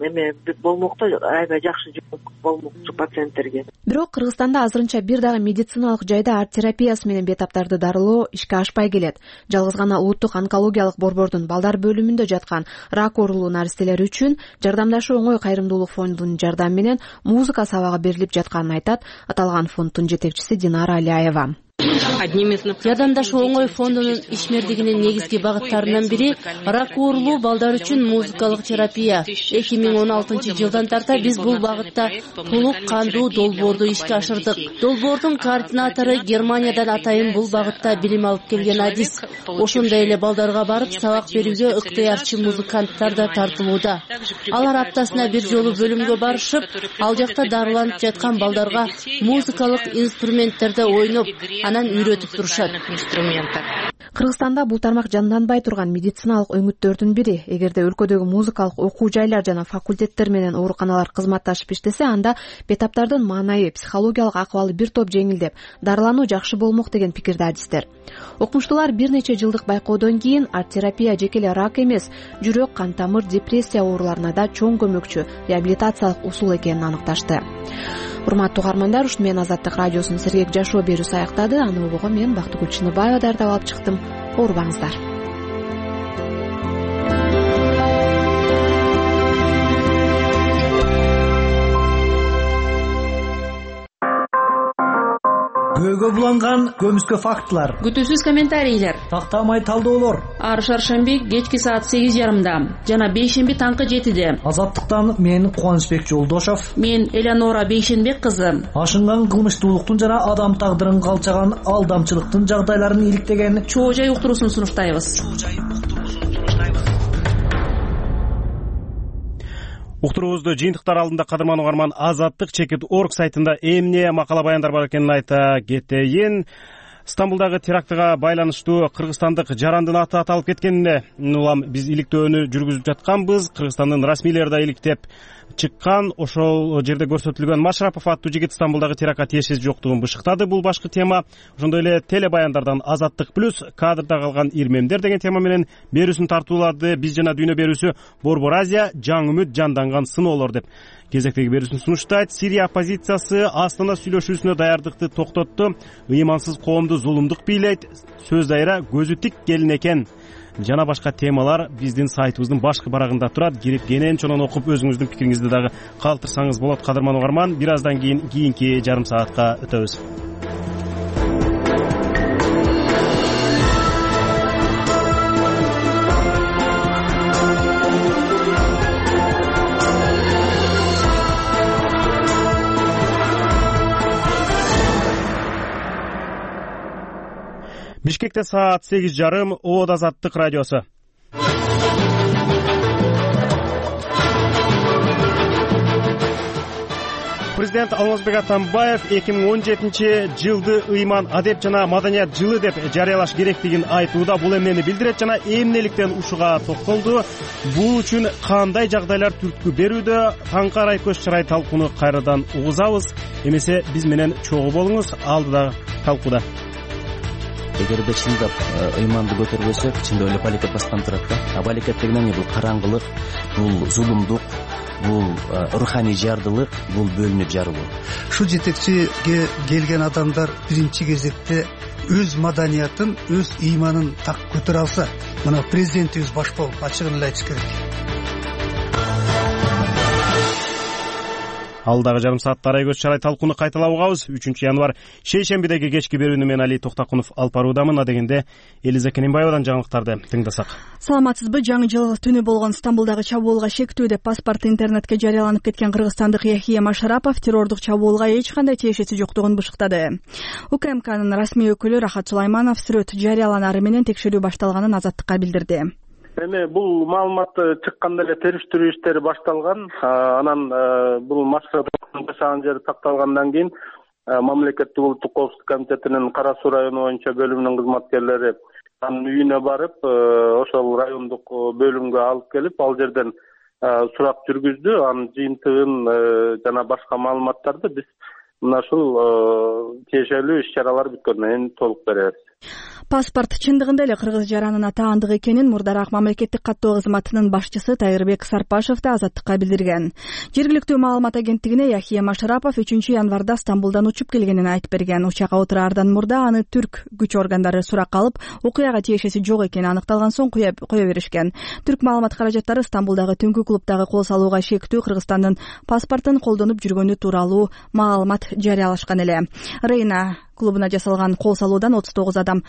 эме болмок да, аябай жакшы болмок пациенттерге. Бирок Кыргызстанда азырынча бир дагы медициналык жайда арт-терапиясы менен бейтаптарды дарылоо ишке ашпай келет. Жалгыз гана Улуттук онкологиялык борбордун балдар бөлүмүндө жаткан рак оорулуу наристелер үчүн Жардамдашуу оңой кайрымдуулук фондунун жардамы менен музыка сабагы берилип жатканын айтат аталган фонддун жетекчиси Динара Алиаева. Жардамдашуу оңой фондунун ишмердигинин негизги багыттарынын бири рак оорулуу балдар үчүн музыкалык терапия. 2016-жылдан тарта биз бул багытта толук кандуу долбоорду ишке ашырдык. Долбоордун координатору Германиядан атайын бул багытта билим алып келген адис. Ошондой эле балдарга барып сабак берүүгө ыктыярчы музыканттар да тартылууда. Алар аптасына бир жолу бөлүмгө барышып, ал жакта дарыланып жаткан балдарга музыкалык инструменттерде ойноп, анан үйрөтүп турушат. Кыргызстанда бул тармак жанданбай турган медициналык өңүттөрдүн бири. Эгерде өлкөдөгү музыкалык окуу жайлар жана факультеттер менен ооруканалар кызматташып иштесе, анда бейтаптардын маанайы, психологиялык акыбалы бир топ жеңилдеп, дарылануу жакшы болмок деген пикирде адистер. Окумуштуулар бир нече жылдык байкоодон кийин арт-терапия жеке эле рак эмес, жүрөк, кан тамыр, депрессия ооруларына да чоң көмөкчү реабилитациялык усул экенин аныкташты. Урматтуу угармандар, ушуну менен Азаттык радиосунун сергек жашоо берүүсү аяктады. Аны угууга мен Бактыгүл Чыныбаева даярдап алып чыктым. Оорубаңыздар. Көөгө буланган көмүскө фактылар, күтүүсүз комментарийлер, тактамай талдоолор. Ар шаршемби кечки саат 8:30 жана бейшемби таңкы 7:00. Азаттыктан мен Кубанычбек Жолдошов, мен Элеонора Бейшенбек кызы. Ашынган кылмыштуулуктун жана адам тагдырын калчаган алдамчылыктын жагдайларын иликтеген чоо жай уктуруусун сунуштайбыз. Уктуруубузду жыйынтыктар алдында кадырман угарман Азаттык Чекит.org сайтында эмне макала баяндар бар экенин айта кетейин. Стамбулдагы терактыга байланыштуу кыргызстандык жарандын аты аталып кеткенине улам биз иликтөөнү жүргүзүп жатканбыз. Кыргызстандын расмийлери да иликтеп чыккан. Ошол жерде көрсөтүлгөн Машрапов аттуу жигит Стамбулдагы терактка тиешеси жоктугун бышыктады. Бул башкы тема. Ошондой эле теле баяндардан Азаттык плюс кадрда калган ирмемдер деген тема менен берүүсүн тартуулады. Биз жана дүйнө берүүсү Борбор Азия жаңы үмүт жанданган сыноолор деп кезектеги берүүсүн сунуштайт. Сирия оппозициясы Астана сүйлөшүүсүнө даярдыкты токтотту. Ыймансыз коомду зулумдук бийлейт, сөз дайра көзү тик келин экен жана башка темалар биздин сайтыбыздын башкы барагында турат. Кирип кенен окуп өзүңүздүн пикириңизди дагы калтырсаңыз болот. Кадырман угарман, бир аздан кийинки жарым саатка өтөбүз. Бишкекте саат 8:30. Оод Азаттык радиосу. Президент Алмазбек Атамбаев 2017-жылды ыйман адеп жана маданият жылы деп жарыялаш керектигин айтууда. Бул эмнени билдирет жана эмнеликтен ушуга токтолду. Бул үчүн кандай жагдайлар түрткү берүүдө? Таңкарай көз чырай талкууну кайрадан угузабыз. Эмесе биз менен чогуу болуңуз. Алдыда талкууда. Эгерде чындап ыйманды көтөрбөсөк, чындап эле балекет баскан турат да. Балекет деген эмне? Бул караңгылык, бул зулумдук, бул руханий жардылык, бул бөлүнүп жарылуу. Ушул жетекчиге келген адамдар биринчи кезекте өз маданиятын, өз ыйманын так көтөрө алса, мына президентибиз баш болуп ачыгын эле айтыш керек. Алдагы жарым саатта арай көз чарай талкууну кайталап угабыз. 3-январь шейшембидеги кечки берүүнү мен Али Токтакунов алып баруудамын. Адегенде Элиза Кененбаевадан жаңылыктарды тыңдасак. Саламатсызбы? Жаңы жыл түнү болгон Стамбулдагы чабуулга шектүү деп паспорт интернетке жарыяланып кеткен кыргызстандык Яхия Машарапов террордук чабуулга эч кандай тиешеси жоктугун бышыктады. УКМКнын расмий өкүлү Рахат Сулайманов сүрөт жарыяланары менен текшерүү башталганын Азаттыкка билдирди. Эми бул маалымат чыкканда эле териштирүү иштери башталган. Анан бул Машараповдун жашаган жери такталгандан кийин Мамлекеттик улуттук коопсуздук комитетинин Кара Суу району боюнча бөлүмүнүн кызматкерлери анын үйүнө барып, ошол райондук бөлүмгө алып келип, ал жерден сурак жүргүздү. Анын жыйынтыгын жана башка маалыматтарды биз мына ушул тиешелүү иш-чаралар бүткөндөн кийин толук беребиз. Паспорт чындыгында эле кыргыз жаранына таандык экенин мурдараак мамлекеттик каттоо кызматынын башчысы Тайырбек Сарпашев да Азаттыкка билдирген. Жергиликтүү маалымат агенттигине Яхия Машарапов 3-январда Стамбулдан учуп келгенин айтып берген. Учакка отураардан мурда аны түрк күч органдары сурак алып, окуяга тиешеси жок экени аныкталган соң кое беришкен. Түрк маалымат каражаттары Стамбулдагы түнкү клубдагы кол салууга шектүү Кыргызстандын паспортун колдонуп жүргөнү тууралуу маалымат жарыялашкан эле. Рейна клубуна жасалган кол салуудан 39 адам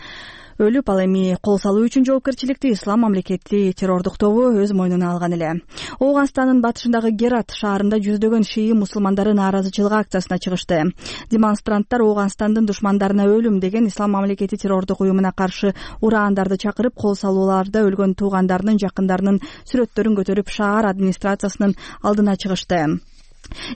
өлүп, ал эми кол салуу үчүн жоопкерчиликти Ислам мамлекети террордук тобу өз мойнуна алган эле. Ооганстандын батышындагы Герат шаарында жүздөгөн шии мусулмандары нааразычылык акциясына чыгышты. Демонстранттар Ооганстандын душмандарына өлүм деген Ислам мамлекети террордук уюмуна каршы ураандарды чакырып, кол салууларда өлгөн туугандарынын, жакындарынын сүрөттөрүн көтөрүп, шаар администрациясынын алдына чыгышты.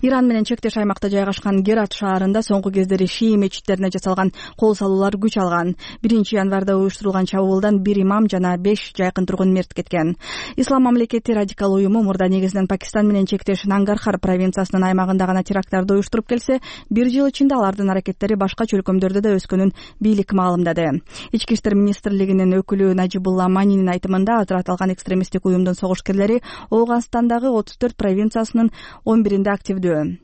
Иран менен чектеш аймакта жайгашкан Герат шаарында соңку кездери шии мечиттерине жасалган кол салуулар күч алган. 1-январда уюштурулган чабуулдан 1 имам жана 5 жайкын тургун мерт кеткен. Ислам мамлекети радикал уюму мурда негизинен Пакистан менен чектеш Нангархар провинциясынын аймагында гана теракттарды уюштуруп келсе, 1 жыл ичинде алардын аракеттери башка чөлкөмдөрдө да өскөнүн бийлик маалымдады. Ички иштер министрлигинин өкүлү Нажибулла Манинин айтымында ажыратылган экстремисттик уюмдун согушкерлери Ооганстандагы 34 провинциясынын 11-инде активдүү.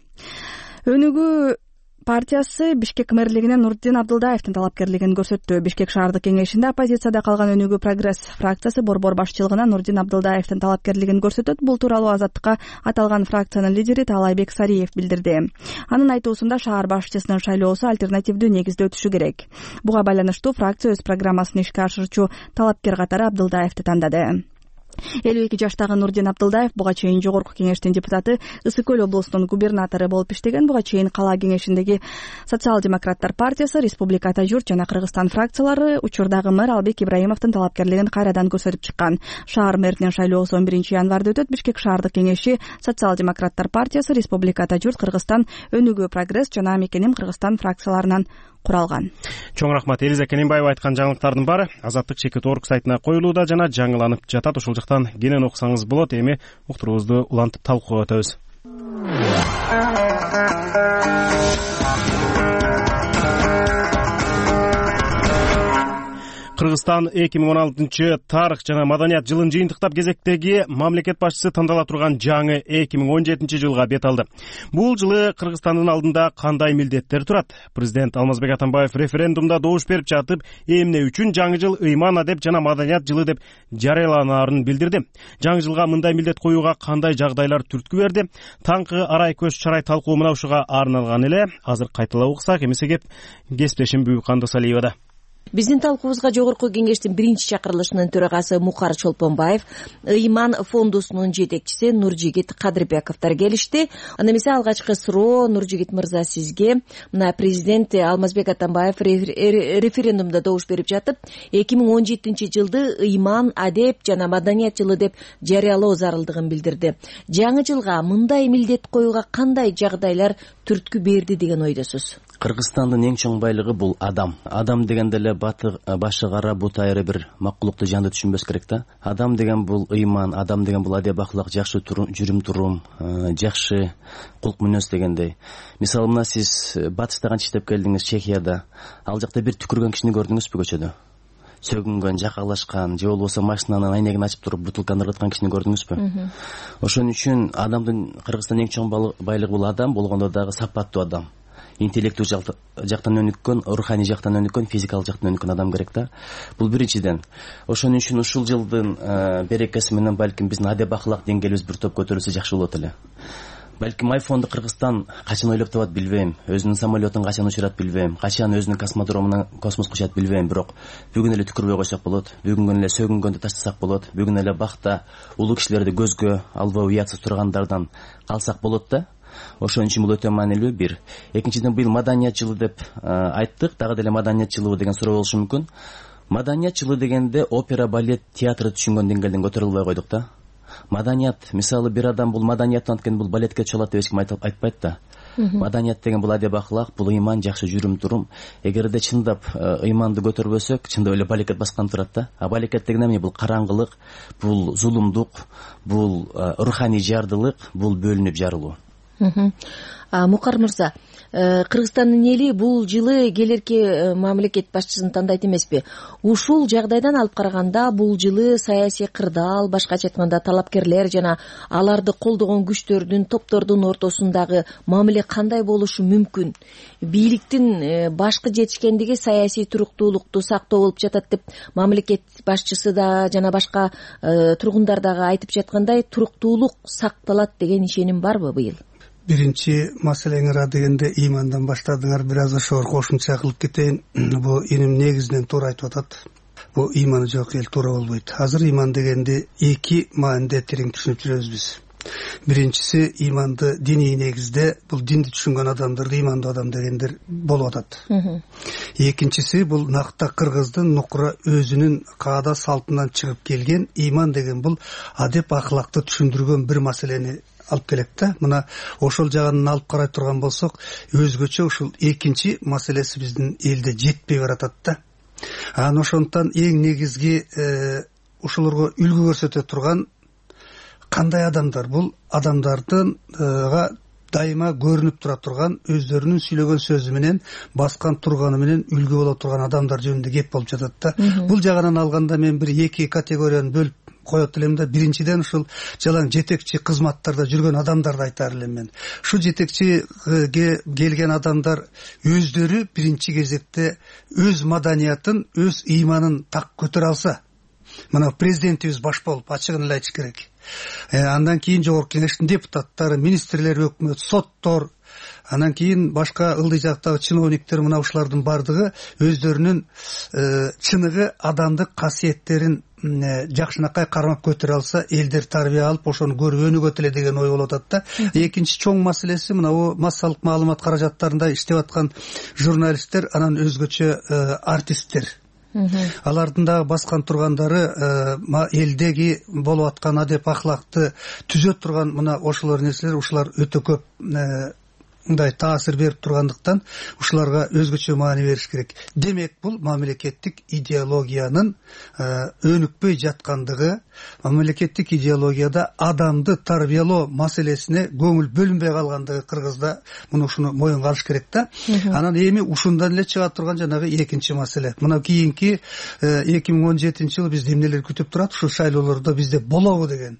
Өнүгүү партиясы Бишкек мэрлигинен Нурдин Абдылдаевдин талапкерлигин көрсөттү. Бишкек шаардык кеңешинде оппозицияда калган Өнүгүү прогресс фракциясы борбор башчылыгына Нурдин Абдылдаевдин талапкерлигин көрсөтөт. Бул тууралуу Азаттыкка аталган фракциянын лидери Таалайбек Сариев билдирди. Анын айтуусунда шаар башчысынын шайлоосу альтернативдүү негизде өтүшү керек. Буга байланыштуу фракция өз программасын ишке ашырчу талапкер катары Абдылдаевди тандады. 52 жаштагы Нурдин Абдылдаев буга чейин жогорку кеңештин депутаты, Ысык Көл облусунун губернатору болуп иштеген. Буга чейин кала кеңешиндеги Социал-демократтар партиясы, Республиката журт жана Кыргызстан фракциялары учурдагы мэр Албек Ибраимовдун талапкерлигин кайрадан көрсөтүп чыккан. Шаар мэринин шайлоосу 11-январда өтөт. Бишкек шаардык кеңеши Социал-демократтар партиясы, Республиката журт, Кыргызстан, Өнүгүү прогресс жана Мекеним Кыргызстан фракцияларынан куралган. Чоң рахмат. Элиза Кененбаева айткан жаңылыктардын баары Азаттык Чекит.org сайтына коюлууда жана жаңыланып жатат. Ушул жактан кенен окусаңыз болот. Эми уктуруубузду улантып талкууга өтөбүз. Кыргызстан 2016 тарых жана маданият жылын жыйынтыктап кезектеги мамлекет башчысы тандала турган жаңы 2017 жылга бет алды. Бул жылы Кыргызстандын алдында кандай милдеттер турат? Президент Алмазбек Атамбаев референдумда добуш берип жатып, эмне үчүн жаңы жыл ыйман, адеп жана маданият жылы деп жарыяланаарын билдирди. Жаңы жылга мындай милдет коюуга кандай жагдайлар түрткү берди? Таңкы арай көз чарай талкуу мына ушуга арналган эле. Азыр кайталап уксак, эмесе кеп кесиптешим Бүгүк Кандасалиевада. Биздин талкуубузга Жогорку Кеңештин биринчи чакырылышынын төрагасы Мукар Чолпонбаев, Ыйман фондусунун жетекчиси Нуржигит Кадырбековдор келишти. Анда эмесе алгачкы суроо Нуржигит мырза сизге. Мына президент Алмазбек Атамбаев референдумда добуш берип жатып, 2017 жылды ыйман, адеп жана маданият жылы деп жарыялоо зарылдыгын билдирди. Жаңы жылга мындай милдет коюуга кандай жагдайлар түрткү берди деген ойдосуз? Кыргызстандын эң чоң байлыгы бул адам. Адам дегенде эле башы кара, бут айры бир макулукту жанды түшүнбөс керек да. Адам деген бул ыйман, адам деген бул адеп акылак, жакшы жүрүм турум, жакшы кулк мүнөз дегендей. Мисалы мына сиз батышта канча иштеп келдиңиз, Чехияда. Ал жакта бир түкүргөн кишини көрдүңүзбү көчөдө? Сөгүнгөн, жакалашкан, же болбосо машинанын айнегин ачып туруп бутылканы ыргыткан кишини көрдүңүзбү? Ошон үчүн адамдын, Кыргызстандын эң чоң байлыгы бул адам, болгондо дагы сапаттуу адам. Интеллекту жактан өнүккөн, руханий жактан өнүккөн, физикалык жактан өнүккөн адам керек да. Бул биринчиден. Ошон үчүн ушул жылдын берекеси менен балким биздин адеп акылак деңгээлибиз бир топ көтөрүлсө жакшы болот эле. Балким айфонду Кыргызстан качан ойлоп табат билбейм, өзүнүн самолетун качан учурат билбейм, качан өзүнүн космодромуна космоско учат билбейм, бирок бүгүн эле түкүрбөй койсок болот, бүгүн эле сөгүнгөндү таштасак болот, бүгүн эле бакта улуу кишилерди көзгө албай уятсыз тургандардан калсак болот да. Ошон үчүн бул өтө маанилүү бир. Экинчиден, быйыл маданият жылы деп айттык, дагы деле маданият жылыбы деген суроо болушу мүмкүн. Маданият жылы дегенде опера, балет, театрды түшүнгөн деңгээлден көтөрүлө албай койдук да. Маданият, мисалы бир адам бул маданияттан анткени бул балетке чалат деп эч ким айтпайт да. Маданият деген бул адеп акылак, бул ыйман, жакшы жүрүм турум. Эгерде чындап ыйманды көтөрбөсөк, чындап эле балекет баскан турат да. А балекет деген эмне? Бул караңгылык, бул зулумдук, бул руханий жардылык, бул бөлүнүп жарылуу. Мукар мырза, Кыргызстандын эли бул жылы келерки мамлекет башчысын тандайт эмеспи? Ушул жагдайдан алып караганда бул жылы саясий кырдаал, башкача айтканда талапкерлер жана аларды колдогон күчтөрдүн, топтордун ортосундагы мамиле кандай болушу мүмкүн? Бийликтин башкы жетишкендиги саясий туруктуулукту сактоо болуп жатат деп мамлекет башчысы да жана башка тургундар дагы айтып жаткандай, туруктуулук сакталат деген ишеним барбы быйыл? Биринчи маселеңер дегенде ыймандан баштадыңар, бир аз ошого кошумча кылып кетейин. Бул иним негизинен туура айтып атат. Бул ыйманы жок эл туура болбойт. Азыр ыйман дегенди эки мааниде терең түшүнүп жүрөбүз биз. Биринчиси, ыйманды диний негизде бул динди түшүнгөн адамдарды ыймандуу адам дегендер болуп атат. Экинчиси, бул накта кыргыздын нукура өзүнүн каада салтынан чыгып келген ыйман деген бул адеп акылакты түшүндүргөн бир маселени алып келет да. Мына ошол жагынан алып карай турган болсок, өзгөчө ушул экинчи маселеси биздин элде жетпей баратат да. Анан ошондон эң негизги ушуларга үлгү көрсөтө турган кандай адамдар? Бул адамдардынга дайыма көрүнүп тура турган, өздөрүнүн сүйлөгөн сөзү менен, баскан турганы менен үлгү боло турган адамдар жөнүндө кеп болуп жатат да. Бул жагынан алганда мен бир эки категорияны бөлүп коет элем да. Биринчиден ушул жалаң жетекчи кызматтарда жүргөн адамдарды айтар элем мен. Ушул жетекчиге келген адамдар өздөрү биринчи кезекте өз маданиятын, өз ыйманын так көтөрө алса, мына президентибиз баш болуп ачыгын эле айтыш керек. Андан кийин Жогорку Кеңештин депутаттары, министрлер, өкмөт, соттор, анан кийин башка ылдый жактагы чиновниктер, мына ушулардын бардыгы өздөрүнүн чыныгы адамдык касиеттерин жакшынакай кармап көтөрө алса, элдер тарбия алып ошону көрүп өнүгөт эле деген ой болуп атат да. Экинчи чоң маселеси мына массалык маалымат каражаттарында иштеп аткан журналисттер, анан өзгөчө артисттер. Алардын дагы баскан тургандары элдеги болуп аткан адеп акылакты түзө турган мына ошолор нерселер, ушулар өтө көп мындай таасир берип тургандыктан ушуларга өзгөчө маани бериш керек. Демек бул мамлекеттик идеологиянын өнүкпөй жаткандыгы, мамлекеттик идеологияда адамды тарбиялоо маселесине көңүл бөлүнбөй калгандыгы Кыргызда. Муну ушуну моюнга алыш керек да. Анан эми ушундан эле чыга турган жанагы экинчи маселе. Мына кийинки 2017-жылы бизди эмнелер күтүп турат, ушул шайлоолордо бизде болобу деген.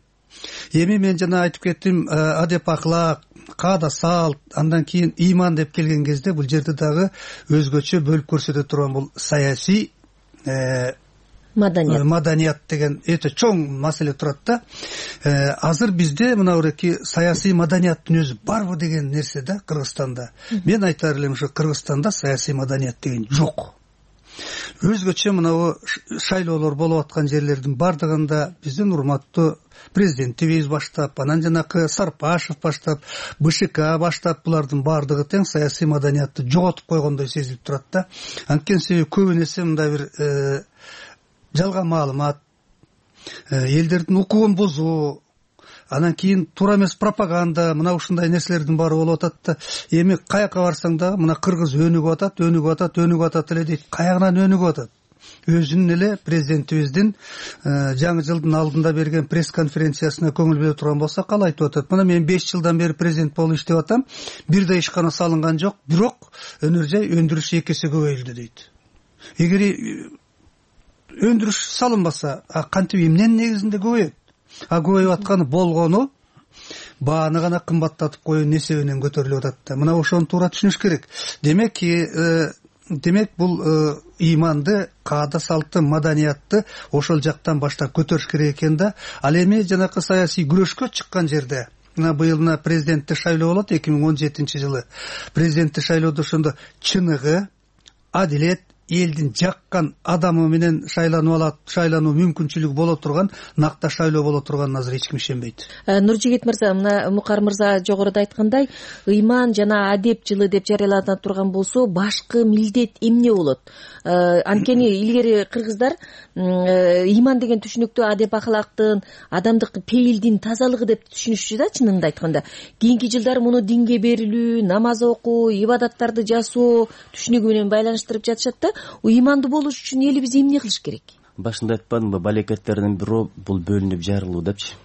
Эми мен жана айтып кеттим, адеп ахлак, каада салт, андан кийин ыйман деп келген кезде бул жерде дагы өзгөчө бөлүп көрсөтө турган бул саясий маданият деген өтө чоң маселе турат да. Азыр бизде мына уреки саясий маданияттын өзү барбы деген нерсе да Кыргызстанда. Мен айтар элем, ушу Кыргызстанда саясий маданият деген жок. Өзгөчө мына шайлоолор болуп аткан жерлердин бардыгында биздин урматтуу президентибиз баштап, анан жанакы Сарпашев баштап, БШК баштап, булардын бардыгы тең саясий маданиятты жоготуп койгондой сезилип турат да. Анткени себеби көбүн эсе мындай бир жалган маалымат, элдердин укугун бузуу, анан кийин туура эмес пропаганда, мына ушундай нерселердин баары болуп атат да. Эми каяка барсаң да мына Кыргыз өнүгүп атат эле дейт. Каягынан өнүгүп атат? Өзүнүн эле президентибиздин жаңы жылдын алдында берген пресс-конференциясына көңүл бөлө турган болсак, ал айтып атат. Мына мен 5 жылдан бери президент болуп иштеп атам, бир да ишкана салынган жок, бирок өнөр жай өндүрүш 2 эсе көбөйүлдү дейт. Эгер өндүрүш салынбаса, кантип эмненин негизинде көбөйөт? Көбөйүп атканы болгону бааны гана кымбаттатып коюунун эсебинен көтөрүлүп атат да. Мына ошону туура түшүнүш керек. Демек бул ыйманды, каада салтты, маданиятты ошол жактан баштап көтөрүш керек экен да. Ал эми жанакы саясий күрөшкө чыккан жерде, мына быйыл президенттик шайлоо болот 2017-жылы. Президенттик шайлоодо ошондо чыныгы, адилет, элдин жаккан адамы менен шайлануу мүмкүнчүлүгү боло турган, накта шайлоо боло турганын азыр эч ким ишенбейт. Нуржигит мырза, мына Мукар мырза жогоруда айткандай, ыйман жана адеп жылы деп жарыялана турган болсо, башкы милдет эмне болот? Анткени илгери кыргыздар ыйман деген түшүнүктү адеп ахлактын, адамдык пейилдин тазалыгы деп түшүнүшчү да, чынында айтканда. Кийинки жылдары муну динге берилүү, намаз окуу, ибадаттарды жасоо түшүнүгү менен байланыштырып жатышат да. Ыймандуу болуш үчүн элибиз эмне кылыш керек? Башында айтпадымбы, балекеттердин бирөө бул бөлүнүп жарылуу депчи.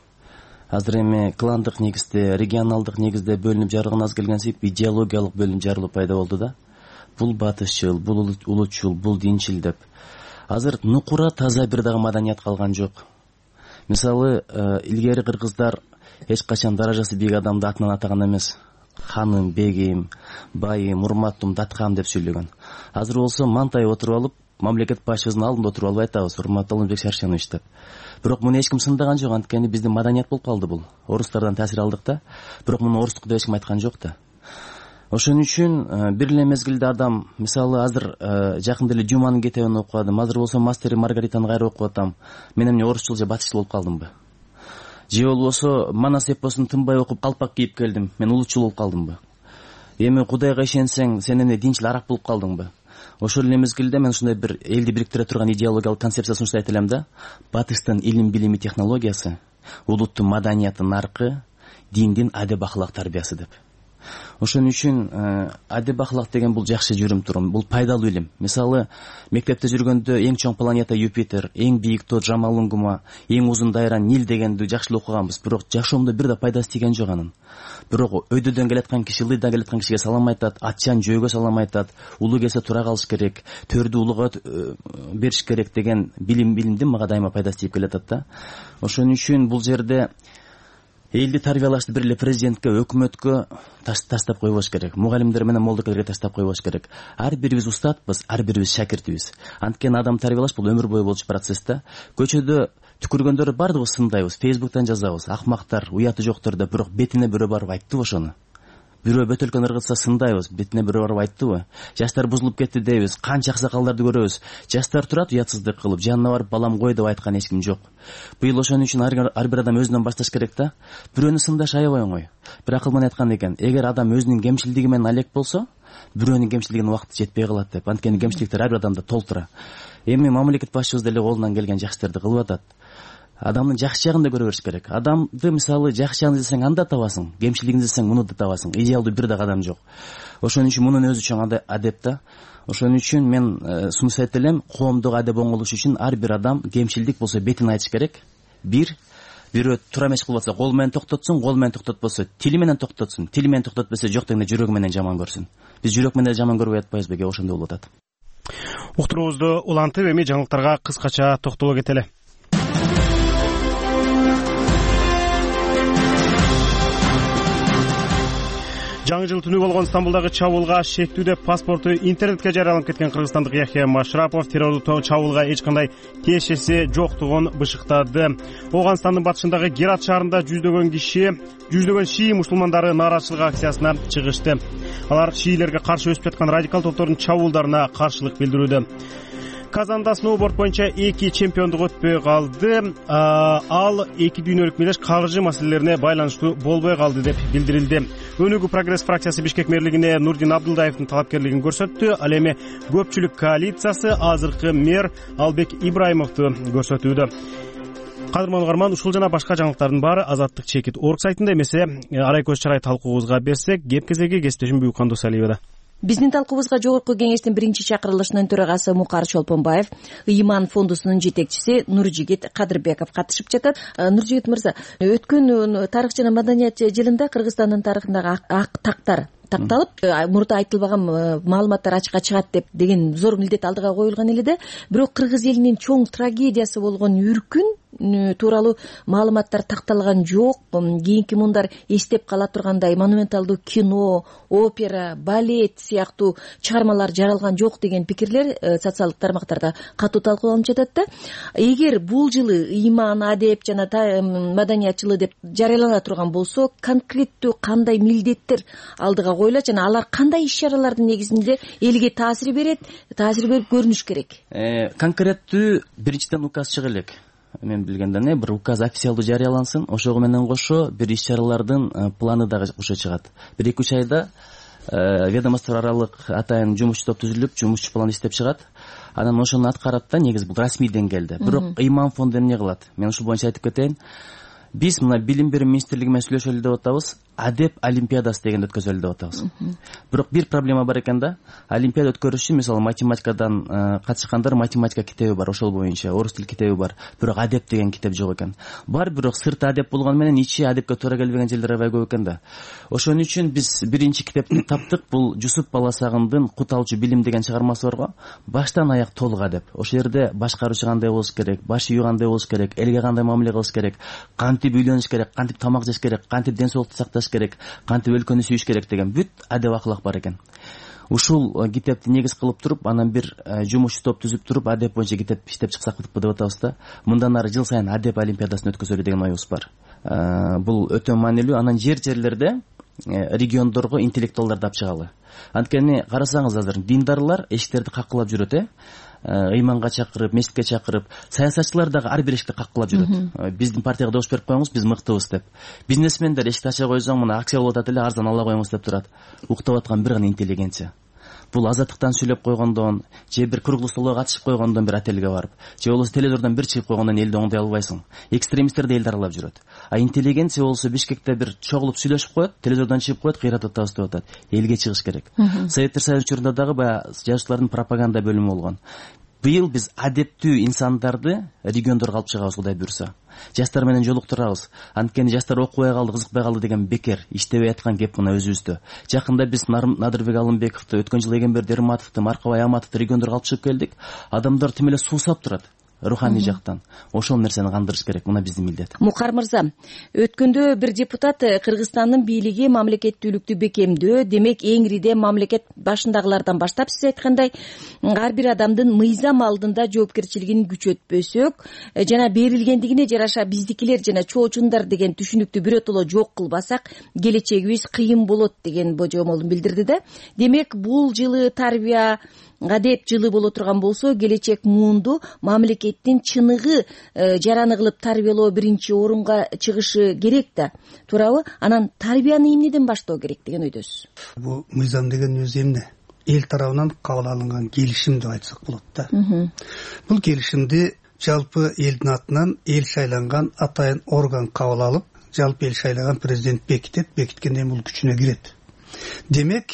Азыр эми кландык негизде, регионалдык негизде бөлүнүп жарылган аз келгенсип, идеологиялык бөлүнүп жарылуу пайда болду да. Бул батышчыл, бул улутчул, бул динчил деп. Азыр нукура таза бир дагы маданият калган жок. Мисалы, илгери кыргыздар эч качан даражасы бийик адамды атынан атаган эмес. Ханым, бегим, байым, урматтым, даткам деп сүйлөгөн. Азыр болсо мантайып отуруп алып, мамлекет башчысынын алдында отуруп алып айтабыз, урматтуу Алмазбек Шаршенович деп. Бирок муну эч ким сындаган жок, анткени биздин маданият болуп калды бул. Орустардан таасир алдык да, бирок муну орустук деп эч ким айткан жок да. Ошон үчүн бир эле мезгилде адам, мисалы азыр жакында эле Жуманын кетебин окуп атам, азыр болсо Мастер и Маргаританы кайра окуп атам. Мен эмне орусчул же батышчыл болуп калдымбы? Же болбосо Манас эпосун тынбай окуп калпак кийип келдим, мен улутчул болуп калдымбы? Эми Кудайга ишенсең, сен эмне динчил арак болуп калдыңбы? Ошол эле мезгилде мен ушундай бир элди бириктире турган идеологиялык концепция сунуштайт элем да. Батыштын илим, билими, технологиясы, улуттун маданияты наркы, диндин адеп ахлак тарбиясы деп. Ошон үчүн адеп ахлак деген бул жакшы жүрүм-турум, бул пайдалуу илим. Мисалы, мектепте жүргөндө эң чоң планета Юпитер, эң бийик тоо Джамалунгма, эң узун дайра Нил дегенди жакшы окуганбыз, бирок жашоомдо бир да пайдасы тийген жок анын. Бирок өйдөдөн келаткан киши, ылдыйдан келаткан кишиге салам айтат, атчан жөөгө салам айтат, улуу келсе тура калыш керек, төрдү улууга бериш керек деген билимдин мага дайыма пайдасы тийип келатат да. Ошон үчүн бул жерде элди тарбиялашты бир эле президентке, өкмөткө таштап койбош керек. Мугалимдер менен молдокелерге таштап койбош керек. Ар бирибиз устатпыз, ар бирибиз шакиртибиз. Анткени адам тарбиялаш бул өмүр бою болчу процесс да. Көчөдө түкүргөндөрдү бардыгыбыз сындайбыз, Фейсбуктан жазабыз, акмактар, уяты жоктор деп, бирок бетине бирөө барып айтты ошону. Бирөө бөтөлкөн ыргытса сындайбыз, бетине бирөө барып айтты. Жаштар бузулуп кетти дейбиз, канча аксакалдарды көрөбүз. Жаштар турат уятсыздык кылып, жанына барып балам кой деп айткан эч ким жок. Быйыл ошон үчүн ар бир адам өзүнөн башташ керек да. Бирөөнү сындаш аябай оңой. Бир акыл менен айткан экен, эгер адам өзүнүн кемчилдиги менен алек болсо, бирөөнүн кемчилдигине убакыты жетпей калат деп. Анткени кемчиликтер ар бир адамда толтура. Эми мамлекет башчыбыз деле колунан келген жакшы иштерди кылып атат. адамдын жакшы жагын да көрө бериш керек. Адамды мисалы жакшы жагын издесең анда табасың, кемчилигин издесең муну да табасың. Идеалдуу бир дагы адам жок. Ошон үчүн мунун өзү чоң адеп да. Ошон үчүн мен сунуш айтып элем, коомдук адеп оңолуш үчүн ар бир адам кемчилдик болсо бетин айтыш керек. Бирөө туура эмес кылып атса кол менен токтотсун, кол менен токтотпосо тили менен токтотсун, тили менен токтотпосо жок дегенде жүрөгү менен жаман көрсүн. Биз жүрөк менен жаман көрбөй атпайбызбы? Кээ ошондой болуп атат. Уктуруубузду улантып эми жаңылыктарга кыскача токтоло кетели. Жаңы жыл түнү болгон Стамбулдагы чабуулга шектүү деп паспорту интернетке жарыяланып кеткен кыргызстандык Яхия Машрапов террорлук чабуулга эч кандай тиешеси жоктугун бышыктады. Ооганстандын батышындагы Герат шаарында жүздөгөн шии мусулмандары нааразычылык акциясына чыгышты. Алар шиилерге каршы өсүп жаткан радикал топтордун чабуулдарына каршылык билдирүүдө. Казанда сноуборд боюнча 2 чемпиондук өтпөй калды. Ал 2 дүйнөлүк мелдеш каржы маселелерине байланыштуу болбой калды деп билдирилди. Өнүгүү прогресс фракциясы Бишкек мэрлигине Нурдин Абдулдаевдин талапкерлигин көрсөттү. Ал эми көпчүлүк коалициясы азыркы мэр Албек Ибраимовду көрсөтүүдө. Кадырман угарман, ушул жана башка жаңылыктардын баары Азаттык чекит орг сайтында эмесе арай көз чарай талкуубузга берсек, кеп кезеги кесиптешим Буюкан Досалиевада. Биздин талкуубузга Жогорку кеңештин биринчи чакырылышынын төрагасы Мукар Чолпонбаев, Ыйман фондусунун жетекчиси Нуржигит Кадырбеков катышып жатат. Нуржигит мырза, өткөн тарых жана маданият жылында Кыргызстандын тарыхындагы ак тактар такталып, мурда айтылбаган маалыматтар ачыкка чыгат деген зор милдет алдыга коюлган эле да, бирок кыргыз элинин чоң трагедиясы болгон үркүн тууралуу маалыматтар такталган жок. Кийинки мундар эстеп кала тургандай монументалдуу кино, опера, балет сыяктуу чыгармалар жаралган жок деген пикирлер социалдык тармактарда катуу талкууланып жатат да. Эгер бул жылы ыйман, адеп жана маданият жылы деп жарыялана турган болсо, конкреттүү кандай милдеттер алдыга коюлат жана алар кандай иш-чаралардын негизинде элге таасир берип көрүнүш керек? Конкреттүү биринчиден указ чыга элек. Мен билгенден бир указ официалдуу жарыялансын, ошого менен кошо бир иш-чаралардын планы дагы кошо чыгат. 1-2 айда ведомство аралык атайын жумушчу топ түзүлүп, жумушчу план иштеп чыгат. Анан ошону аткарат да, негизи бул расмий деңгээлде. Бирок ыйман фонду эмне кылат? Мен ушул боюнча айтып кетейин. Биз мына билим берүү министрлиги менен сүйлөшөлү деп атабыз, адеп олимпиадасы дегенди өткөзөлү деп атабыз. Бирок бир проблема бар экен да. Олимпиада өткөрүш үчүн мисалы математикадан катышкандар математика китеби бар, ошол боюнча орус тил китеби бар. Бирок адеп деген китеп жок экен. Бар, бирок сырты адеп болгону менен ичи адепке туура келбеген жерлер аябай көп экен да. Ошон үчүн биз биринчи китепти таптык. Бул Жусуп Баласагындын Кут алчу билим деген чыгармасы бар го. Баштан аяк толук адеп. Ошол жерде башкаруучу кандай болуш керек, баш ийүү кандай болуш керек, элге кандай мамиле кылыш керек, кантип үйлөнүш керек, кантип тамак жеш керек, кантип ден соолукту сакташ керек, кантип өлкөнү сүйүш керек деген бүт адеп акылак бар экен. Ушул китепти негиз кылып туруп, анан бир жумушчу топ түзүп туруп, адеп боюнча китеп иштеп чыксак деп атабыз да. Мындан ары жыл сайын адеп олимпиадасын өткөзөлү деген оюбуз бар. Бул өтө маанилүү. Анан жерлерде региондорго интеллектуалдарды алып чыгалы. Анткени карасаңыз азыр диндарлар эшиктерди каккылап жүрөт, ыйманга чакырып, мечитке чакырып, саясатчылар дагы ар бир эшикти каккылап жүрөт. Биздин партияга добуш берип коюңуз, биз мыктыбыз деп. Бизнесмендер эшикти ача койсоң, мына акция болуп атат эле, арзан ала коюңуз деп турат. Уктап аткан бир гана интеллигенция. Бул азаттыктан сүйлөп койгондон, же бир круглый столго катышып койгондон бир отелге барып, же болбосо телевизордон бир чыгып койгондон элди оңдой албайсың. Экстремисттер да элди аралап жүрөт. А интеллигенция болсо Бишкекте бир чогулуп сүйлөшүп коет, телевизордон чыгып коет, кыйратып атабыз деп атат. Элге чыгыш керек. Советтер Союзу учурунда дагы баягы жазуучулардын пропаганда бөлүмү болгон. Быйыл биз адептүү инсандарды региондорго алып чыгабыз, Кудай буйрса. Жаштар менен жолуктурабыз. Анткени жаштар окубай калды, кызыкпай калды деген бекер, иштебей аткан кеп мына өзүбүздө. Жакында биз Надырбек Алымбековду, өткөн жылы Эгемберди Эрматовду, Маркабай Аматовду региондорго алып чыгып келдик. Адамдар тим эле суусап турат. Руханий жактан. Ошол нерсени кандырыш керек. Мына биздин милдет. Мукар мырза, өткөндө бир депутат Кыргызстандын бийлиги мамлекеттүүлүктү бекемдөө, демек эңириде мамлекет башындагылардан баштап сиз айткандай ар бир адамдын мыйзам алдында жоопкерчилигин күчөтпөсөк жана берилгендигине жараша биздикилер жана чоочундар деген түшүнүктү биротоло жок кылбасак, келечегибиз кыйын болот деген божомолун билдирди да. Демек бул жылы тарбия адеп жылы боло турган болсо, келечек муунду мамлекеттин чыныгы жараны кылып тарбиялоо биринчи орунга чыгышы керек да. Туурабы? Анан тарбияны эмнеден баштоо керек деген ойдосуз? Бул мыйзам деген өзү эмне? Эл тарабынан кабыл алынган келишим деп айтсак болот да. Бул келишимди жалпы элдин атынан эл шайланган атайын орган кабыл алып, жалпы эл шайлаган президент бекитет, бекиткенден бул күчүнө кирет. Демек,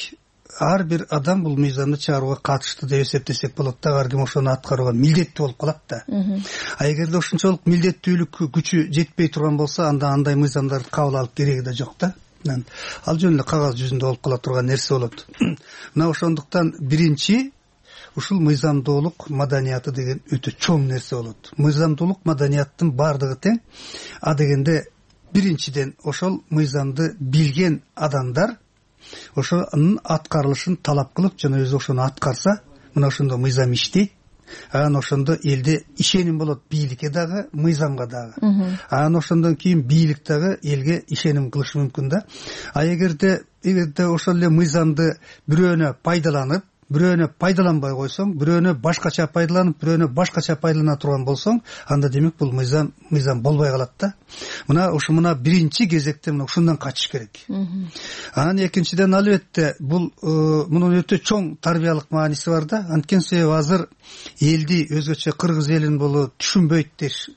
ар бир адам бул мыйзамды чыгарууга катышты деп эсептесек болот да, ар ким ошону аткарууга милдеттүү болуп калат да. А эгерде ошончолук милдеттүүлүк күчү жетпей турган болсо, анда андай мыйзамдарды кабыл алып кереги да жок да. Ал жөн эле кагаз жүзүндө болуп кала турган нерсе болот. Мына ошондуктан биринчи ушул мыйзамдуулук маданияты деген өтө чоң нерсе болот. Мыйзамдуулук маданияттын бардыгы тең. А дегенде биринчиден ошол мыйзамды билген адамдар ошонун аткарылышын талап кылып, жана өзү ошону аткарса, мына ошондо мыйзам иштейт. Анан ошондо элде ишеним болот, бийликке дагы, мыйзамга дагы. Анан ошондон кийин бийлик дагы элге ишеним кылышы мүмкүн да. А эгерде ошол эле мыйзамды бирөөнө пайдаланып, бирөөнө пайдаланбай койсоң, бирөөнө башкача пайдаланып, бирөөнө башкача пайдалана турган болсоң, анда демек бул мыйзам болбой калат да. Мына биринчи кезекте ушундан качыш керек. Анан экинчиден, албетте, бул мунун өтө чоң тарбиялык мааниси бар да. Анткени себеби азыр элди өзгөчө кыргыз элин бул түшүнбөйт деш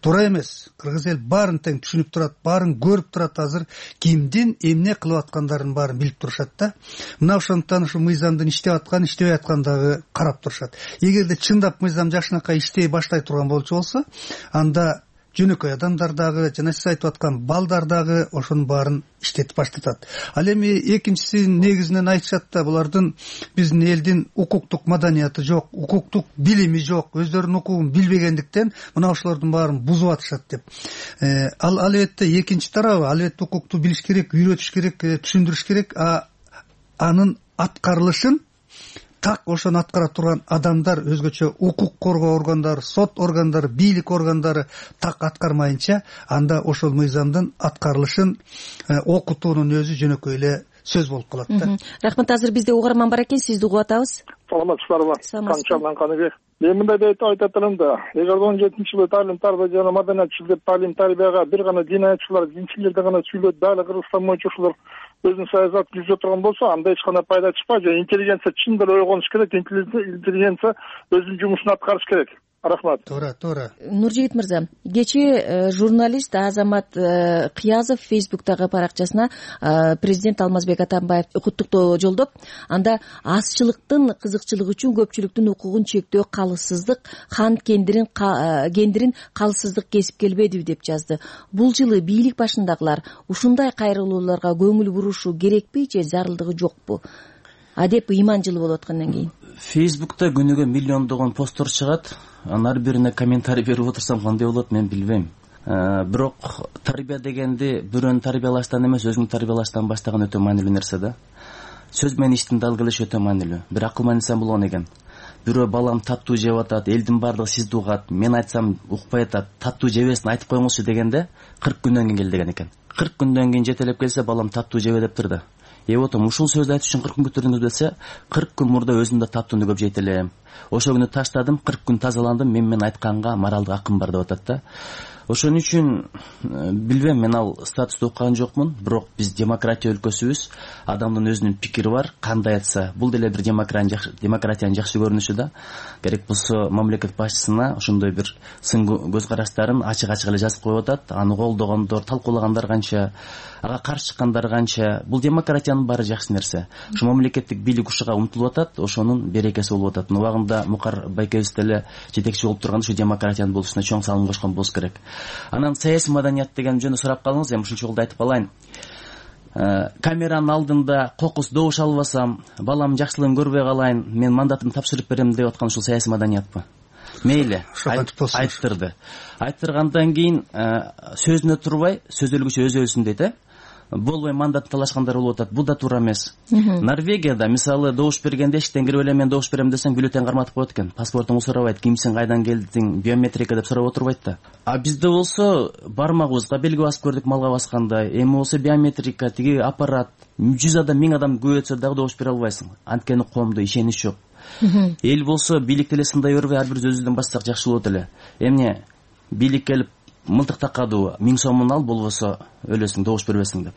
туура эмес. Кыргыз эл баарын тең түшүнүп турат, баарын көрүп турат, азыр кимдин эмне кылып аткандарын баарын билип турушат да. Мына ошондуктан ушу мыйзамдын иштеп аткан, иштебей аткан дагы карап турушат. Эгерде чындап мыйзам жакшынакай иштей баштай турган болчу болсо, анда жөнөкөй адамдар дагы, жана сиз айтып аткан балдар дагы ошонун баарын иштетип баштатат. Ал эми экинчисин негизинен айтышат да, булардын биздин элдин укуктук маданияты жок, укуктук билими жок, өздөрүнүн укугун билбегендиктен мына ошолордун баарын бузуп атышат деп. Ал албетте экинчи тарабы, албетте укукту билиш керек, үйрөтүш керек, түшүндүрүш керек. Анын аткарылышын так ошону аткара турган адамдар, өзгөчө укук коргоо органдары, сот органдары, бийлик органдары так аткармайынча, анда ошол мыйзамдын аткарылышын окутуунун өзү жөнөкөй эле сөз болуп калат да. Рахмат. Азыр бизде угарман бар экен, сизди угуп атабыз. Саламатсыздарбы? Канчамдан Каныбек. Мен мындай деп айтат элем да, эгер 17-жылы талим тарбия жана маданиятчылык талим тарбияга бир гана динаятчылар, динчилерди гана сүйлөп, дагы Кыргызстан боюнча ушулар өзүнүн саясатын жүргүзө турган болсо, анда эч кандай пайда чыкпайт. Интеллигенция чындап ойгонуш керек, интеллигенция өзүнүн жумушун аткарыш керек. Рахмат. Туура. Нуржигит мырза, кечээ журналист Азамат Кыязов Фейсбуктагы баракчасына президент Алмазбек Атамбаев куттуктоо жолдоп, анда азчылыктын кызыкчылыгы үчүн көпчүлүктүн укугун чектөө калыссыздык, хан кендирин калыссыздык кесип келбедиби деп жазды. Бул жылы бийлик башындагылар ушундай кайрылууларга көңүл бурушу керекпи же зарылдыгы жокпу? Адеп ыйман жылы болуп аткандан кийин. Фейсбукта күнүгө миллиондогон посттор чыгат. Анын ар бирине комментарий берип отурсам кандай болот, мен билбейм. Бирок тарбия дегенди бирөөнү тарбиялаштан эмес, өзүңдү тарбиялаштан баштаган өтө маанилүү нерсе да. Сөз менен иштин дал келиши өтө маанилүү. Бир акылман инсан болгон экен. Бирөө балам таттуу жеп атат, элдин бардыгы сизди угат, мен айтсам укпай атат, таттуу жебесин айтып коюңузчу дегенде 40 күндөн кийин кел деген экен. 40 күндөн кийин жетелеп келсе, балам таттуу жебе дептир да. Отом ушул сөздү айтыш үчүн 40 күн күтүрдүңүз десе, 40 күн мурда өзүм да таттууну көп жейт элем. Ошол күнү таштадым, 40 күн тазаландым, мен айтканга моралдык акым бар деп атат да. Ошон үчүн билбейм, мен ал статусту уккан жокмун, бирок биз демократия өлкөсүбүз, адамдын өзүнүн пикири бар, кандай айтса, бул деле бир демократиянын жакшы көрүнүшү да. Керек болсо мамлекет башчысына ошондой бир сын көз караштарын ачык эле жазып коюп атат. Аны колдогондор, талкуулагандар канча, ага каршы чыккандар канча. Бул демократиянын баары жакшы нерсе. Ушу мамлекеттик бийлик ушуга умтулуп атат, ошонун берекеси болуп атат. Убагында Мукар байкебиз деле жетекчи болуп турганда ушу демократиянын болушуна чоң салым кошкон болуш керек. Анан саясий маданият деген жөнүндө сурап калдыңыз, эми ушунча жолдо айтып калайын. Камеранын алдында кокус добуш албасам, балам жакшылыгын көрбөй калайын, мен мандатымды тапшырып берем деп аткан ушул саясий маданиятпы? Мейли, айттырды. Айттыргандан кийин сөзүнө турбай, сөз өлгүчө өз өлсүн дейт, болбой мандат талашкандар болуп атат. Бул да туура эмес. Норвегияда мисалы добуш бергенде эшиктен кирип эле мен добуш берем десең бюллетень карматып коет экен. Паспортуңду сурабайт, кимсиң, кайдан келдиң, биометрика деп сурап отурбайт да. А бизде болсо бармагыбызга белги басып көрдүк малга баскандай. Эми болсо биометрика, тиги аппарат 100 адам, 1000 адам көбөйтсө дагы добуш бере албайсың. Анткени коомдо ишенич жок. Эл болсо бийликти эле сындай бербей, ар бир өзүбүздөн баштасак жакшы болот эле. Эмне бийлик келип мылтык такадуу, 1000 сомун ал, болбосо өлөсүң, добуш бербесиң деп.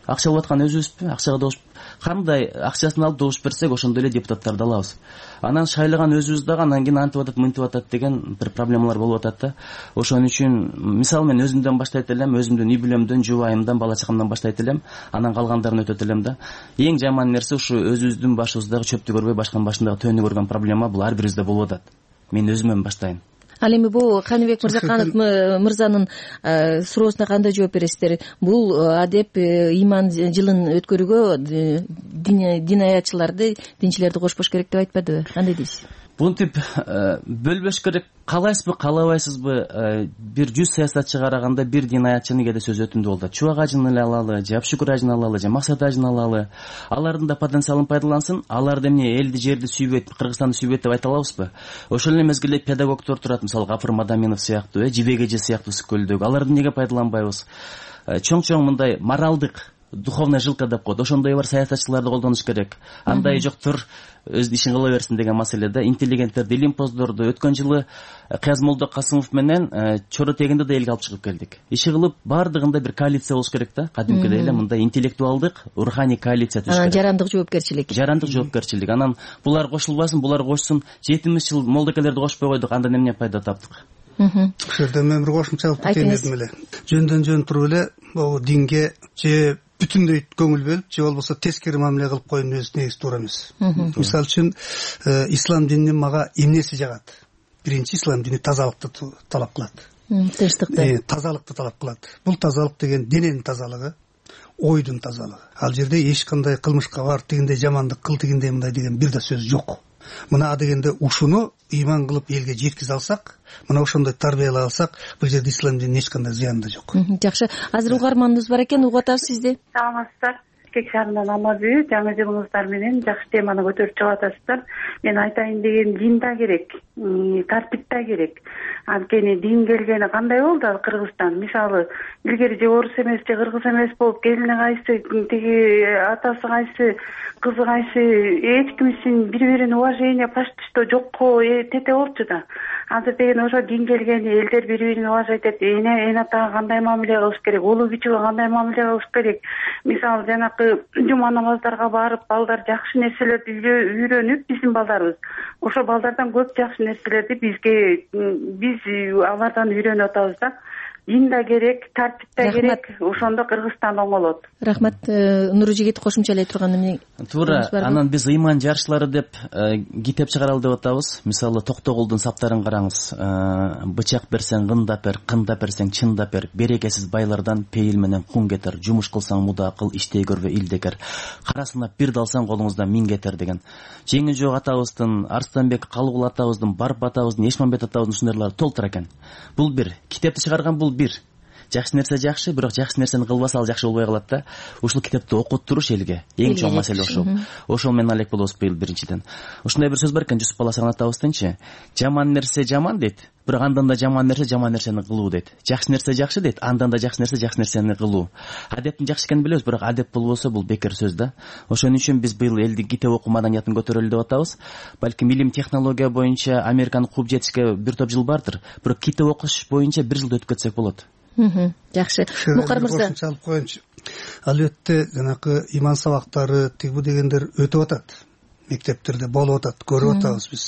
акча алып аткан өзүбүзбү? Акчага добуш кандай акчасын алып добуш берсек ошондой эле депутаттарды алабыз. Анан шайлаган өзүбүз дагы анан кийин антип атат, мынтип атат деген бир проблемалар болуп атат да. Ошон үчүн мисалы мен өзүмдөн баштайт элем, өзүмдүн үй бүлөмдөн, жубайымдан, бала чакамдан баштайт элем, анан калгандарын өтөт элем да. Эң жаман нерсе ушу өзүбүздүн башыбыздагы чөптү көрбөй, башканын башындагы төөнү көргөн проблема бул ар бирибизде болуп атат. Мен өзүмөн баштайын. Ал эми бул Каныбек Мырзаканов мырзанын суроосуна кандай жооп бересиздер? Бул адеп ыйман жылын өткөрүүгө дин аятчыларды, динчилерди кошпош керек деп айтпадыбы? Кандай дейсиз? Бунтип бөлбөш керек. Каалайсызбы, каалабайсызбы, бир 100 саясатчыга караганда бир дин аятчынын кээде сөзү өтүмдүү болот. Чубак ажын эле алалы, же Абшүкүр ажын алалы, же Максат ажын алалы. Алардын да потенциалын пайдалансын. Алар да эмне элди, жерди сүйбөйт, Кыргызстанды сүйбөйт деп айта алабызбы? Ошол эле мезгилде педагогдор турат, мисалы Гафур Мадаминов сыяктуу, Жибек эже сыяктуу Сүкөлдөгү. Аларды эмнеге пайдаланбайбыз? Чоң мындай моралдык, духовная жилка деп коет. Ошондой бар саясатчыларды колдонуш керек. Андай жоктур, өз ишин кыла берсин деген маселеде интеллигенттерди, илимпоздорду өткөн жылы Кыязмолдо Касымов менен Чоро тегинде да элге алып чыгып келдик. Иши кылып баардыгында бир коалиция болуш керек да. Кадимкидей эле мындай интеллектуалдык, руханий коалиция түзүш керек. Анан жарандык жоопкерчилик. Жарандык жоопкерчилик. Анан булар кошулбасын, булар кошсун. 70 жыл молдокелерди кошпой койдук, андан эмне пайда таптык? Ушул жерде мен бир кошумча алып кетейин дедим эле. Жөндөн туруп эле могу динге же бүтүндөй көңүл бөлүп, же болбосо тескери мамиле кылып коюунун өзү негизи туура эмес. Мисалы үчүн ислам дининин мага эмнеси жагат? Биринчи, ислам дини тазалыкты талап кылат. Тынчтыкты. Тазалыкты талап кылат. Бул тазалык деген дененин тазалыгы, ойдун тазалыгы. Ал жерде эч кандай кылмышка бар, тигиндей жамандык кыл, тигиндей мындай деген бир да сөз жок. Мына дегенде ушуну ыйман кылып элге жеткизе алсак, мына ошондой тарбиялай алсак, бул жерде ислам дининин эч кандай зыяны да жок. Жакшы. Азыр угарманыбыз бар экен, угуп атабыз сизди. Саламатсыздар. Бишкек шаарынан Алмазбүй, жаңы жылыңыздар менен жакшы теманы көтөрүп чыгып атасыздар. Мен айтайын деген дин да керек, тартип да керек. Анткени дин келгени кандай болду ал Кыргызстан? Мисалы, илгери же орус эмес, же кыргыз эмес болуп, келини кайсы, тиги атасы кайсы, кызы кайсы, эч ким үчүн бири-бирин уважение, почтишто жокко тете болчу да. Азыр деген ошо дин келгени, элдер бири-бирин уважать этет, эне атага кандай мамиле кылыш керек, улуу кичүүгө кандай мамиле кылыш керек. Мисалы, жанакы жума намаздарга барып, балдар жакшы нерселерди үйрөнүп, биздин балдарыбыз ошо балдардан көп жакшы нерселерди биз алардан үйрөнүп атабыз да. Дин да керек, тартип да керек, ошондо Кыргызстан оңолот. Рахмат. Нуржигит кошумчалай турган эмне? Туура. Анан биз ыйман жарышлары деп китеп чыгаралы деп атабыз. Мисалы Токтогулдун саптарын караңыз. Бычак берсең кындап бер, кындап берсең чындап бер. Берекесиз байлардан пейил менен кун кетер. Жумуш кылсаң муда кыл, иштей көрбө илдекер. Карасына бир далсаң колуңуздан миң кетер деген. Жеңи жок атабыздын, Арстанбек Калыгул атабыздын, Барып атабыздын, Эшмамбет атабыздын ушундайлары толтур экен. Бул бир. Китепти чыгарган бул бир. Жакшы нерсе жакшы, бирок жакшы нерсени кылбаса ал жакшы болбой калат да. Ушул китепти окуп туруш элге эң чоң маселе ошол. Ошол менен алек болобуз быйыл биринчиден. Ушундай бир сөз бар экен, Жусуп Баласаган атабыздынчы. Жаман нерсе жаман дейт, бирок андан да жаман нерсени кылуу дейт. Жакшы нерсе жакшы дейт, андан да жакшы нерсени кылуу. Адептин жакшы экенин билебиз, бирок адеп болбосо бул бекер сөз да. Ошон үчүн биз быйыл элдин китеп окуу маданиятын көтөрөлү деп атабыз. Балким илим технология боюнча Американы кууп жетишке бир топ жыл бардыр, бирок китеп окуш боюнча бир жылда өтүп кетсек болот. Жакшы. Мукар мырза. Албетте жанакы иман сабактары, тигбу дегендер өтүп атат. Мектептерде болуп атат, көрүп атабыз биз.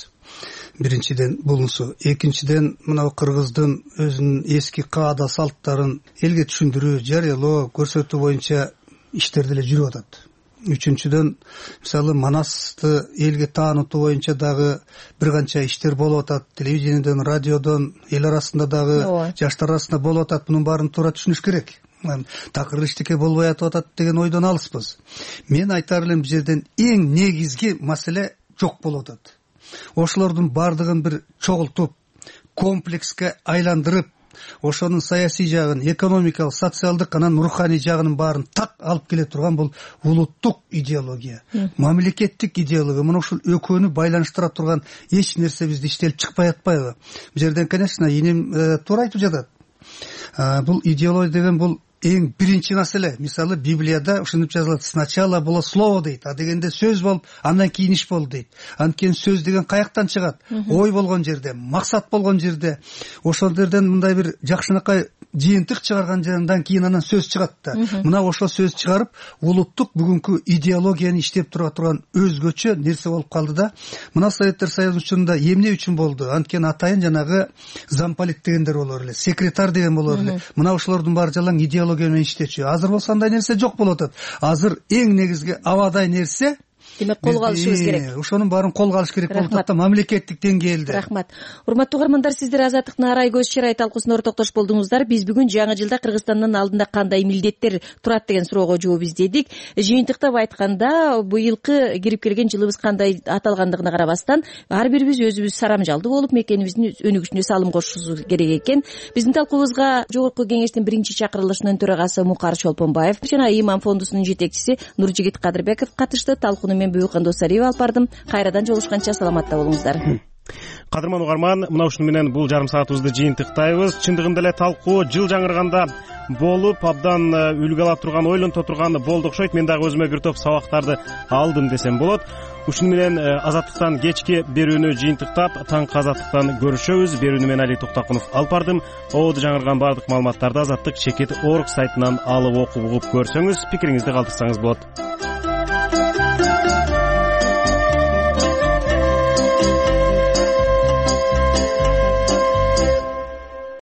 Биринчиден булунсу, экинчиден мына Кыргыздын өзүнүн эски каада салттарын элге түшүндүрүү, жарыялоо, көрсөтүү боюнча иштер деле жүрүп атат. Үчүнчүдөн мисалы Манасты элге таанытуу боюнча дагы бир канча иштер болуп атат. Телевидениеден, радиодон, эл арасында дагы, жаштар арасында болуп атат. Мунун баарын туура түшүнүш керек. Такыр иштеке болбой атат деген ойдон алыспыз. Мен айтар элем, бул жерден эң негизги маселе жок болуп атат. Ошолордун баардыгын бир чогултуп, комплекске айландырып, ошонун саясий жагын, экономикалык, социалдык, анан руханий жагынын баарын так алып келе турган бул улуттук идеология, мамлекеттик идеология. Мына ушул экөөнү байланыштыра турган эч нерсе бизде иштелип чыкпай атпайбы? Бул жерден, конечно, иним туура айтып жатат. Бул идеология деген бул эң биринчи маселе. Мисалы Библияда ушинтип жазылат: сначала было слово дейт, а дегенде сөз болуп, андан кийин иш болду дейт. Анткени сөз деген каяктан чыгат? Ой болгон жерде, максат болгон жерде. Ошол жерден мындай бир жакшынакай жыйынтык чыгаргандан кийин анан сөз чыгат да. Мына ошол сөз чыгарып улуттук бүгүнкү идеологияны иштеп тура турган өзгөчө нерсе болуп калды да. Мына Советтер Союзунун учурунда эмне үчүн болду? Анткени атайын жанагы замполит дегендер болор эле, секретарь деген болор эле. Мына ошолордун баары жалаң идеология менен иштечү. Азыр болсо андай нерсе жок болуп атат. Азыр эң негизги абадай нерсе демек колго алышыбыз керек. Ошонун баарын колго алыш керек болуп атат да мамлекеттик деңгээлде. Рахмат. Урматтуу угармандар, сиздер Азаттыктын арай көз чырай талкуусуна ортоктош болдуңуздар. Биз бүгүн жаңы жылда Кыргызстандын алдында кандай милдеттер турат деген суроого жооп издедик. Жыйынтыктап айтканда, быйылкы кирип келген жылыбыз кандай аталгандыгына карабастан, ар бирибиз өзүбүз сарамжалдуу болуп мекенибиздин өнүгүшүнө салым кошушубуз керек экен. Биздин талкуубузга Жогорку Кеңештин биринчи чакырылышынын төрагасы Мукар Чолпонбаев жана Иман фондусунун жетекчиси Нуржигит Кадырбеков катышты. Талкууну мен Бүйүкан Досалиева алып бардым. Кайрадан жолугушканча саламатта болуңуздар. Кадырман угарман, мына ушуну менен бул жарым саатыбызды жыйынтыктайбыз. Чындыгында эле талкуу жыл жаңырганда болуп абдан үлгү ала турган, ойлонто турган болду окшойт. Мен дагы өзүмө бир топ сабактарды алдым десем болот. Ушуну менен Азаттыктан кечки берүүнү жыйынтыктап, таңкы Азаттыктан көрүшөбүз. Берүүнү мен Али Токтакунов алып бардым. Ободо жаңырган бардык маалыматтарды Азаттык чекит.org сайтынан алып окуп угуп көрсөңүз, пикириңизди калтырсаңыз болот.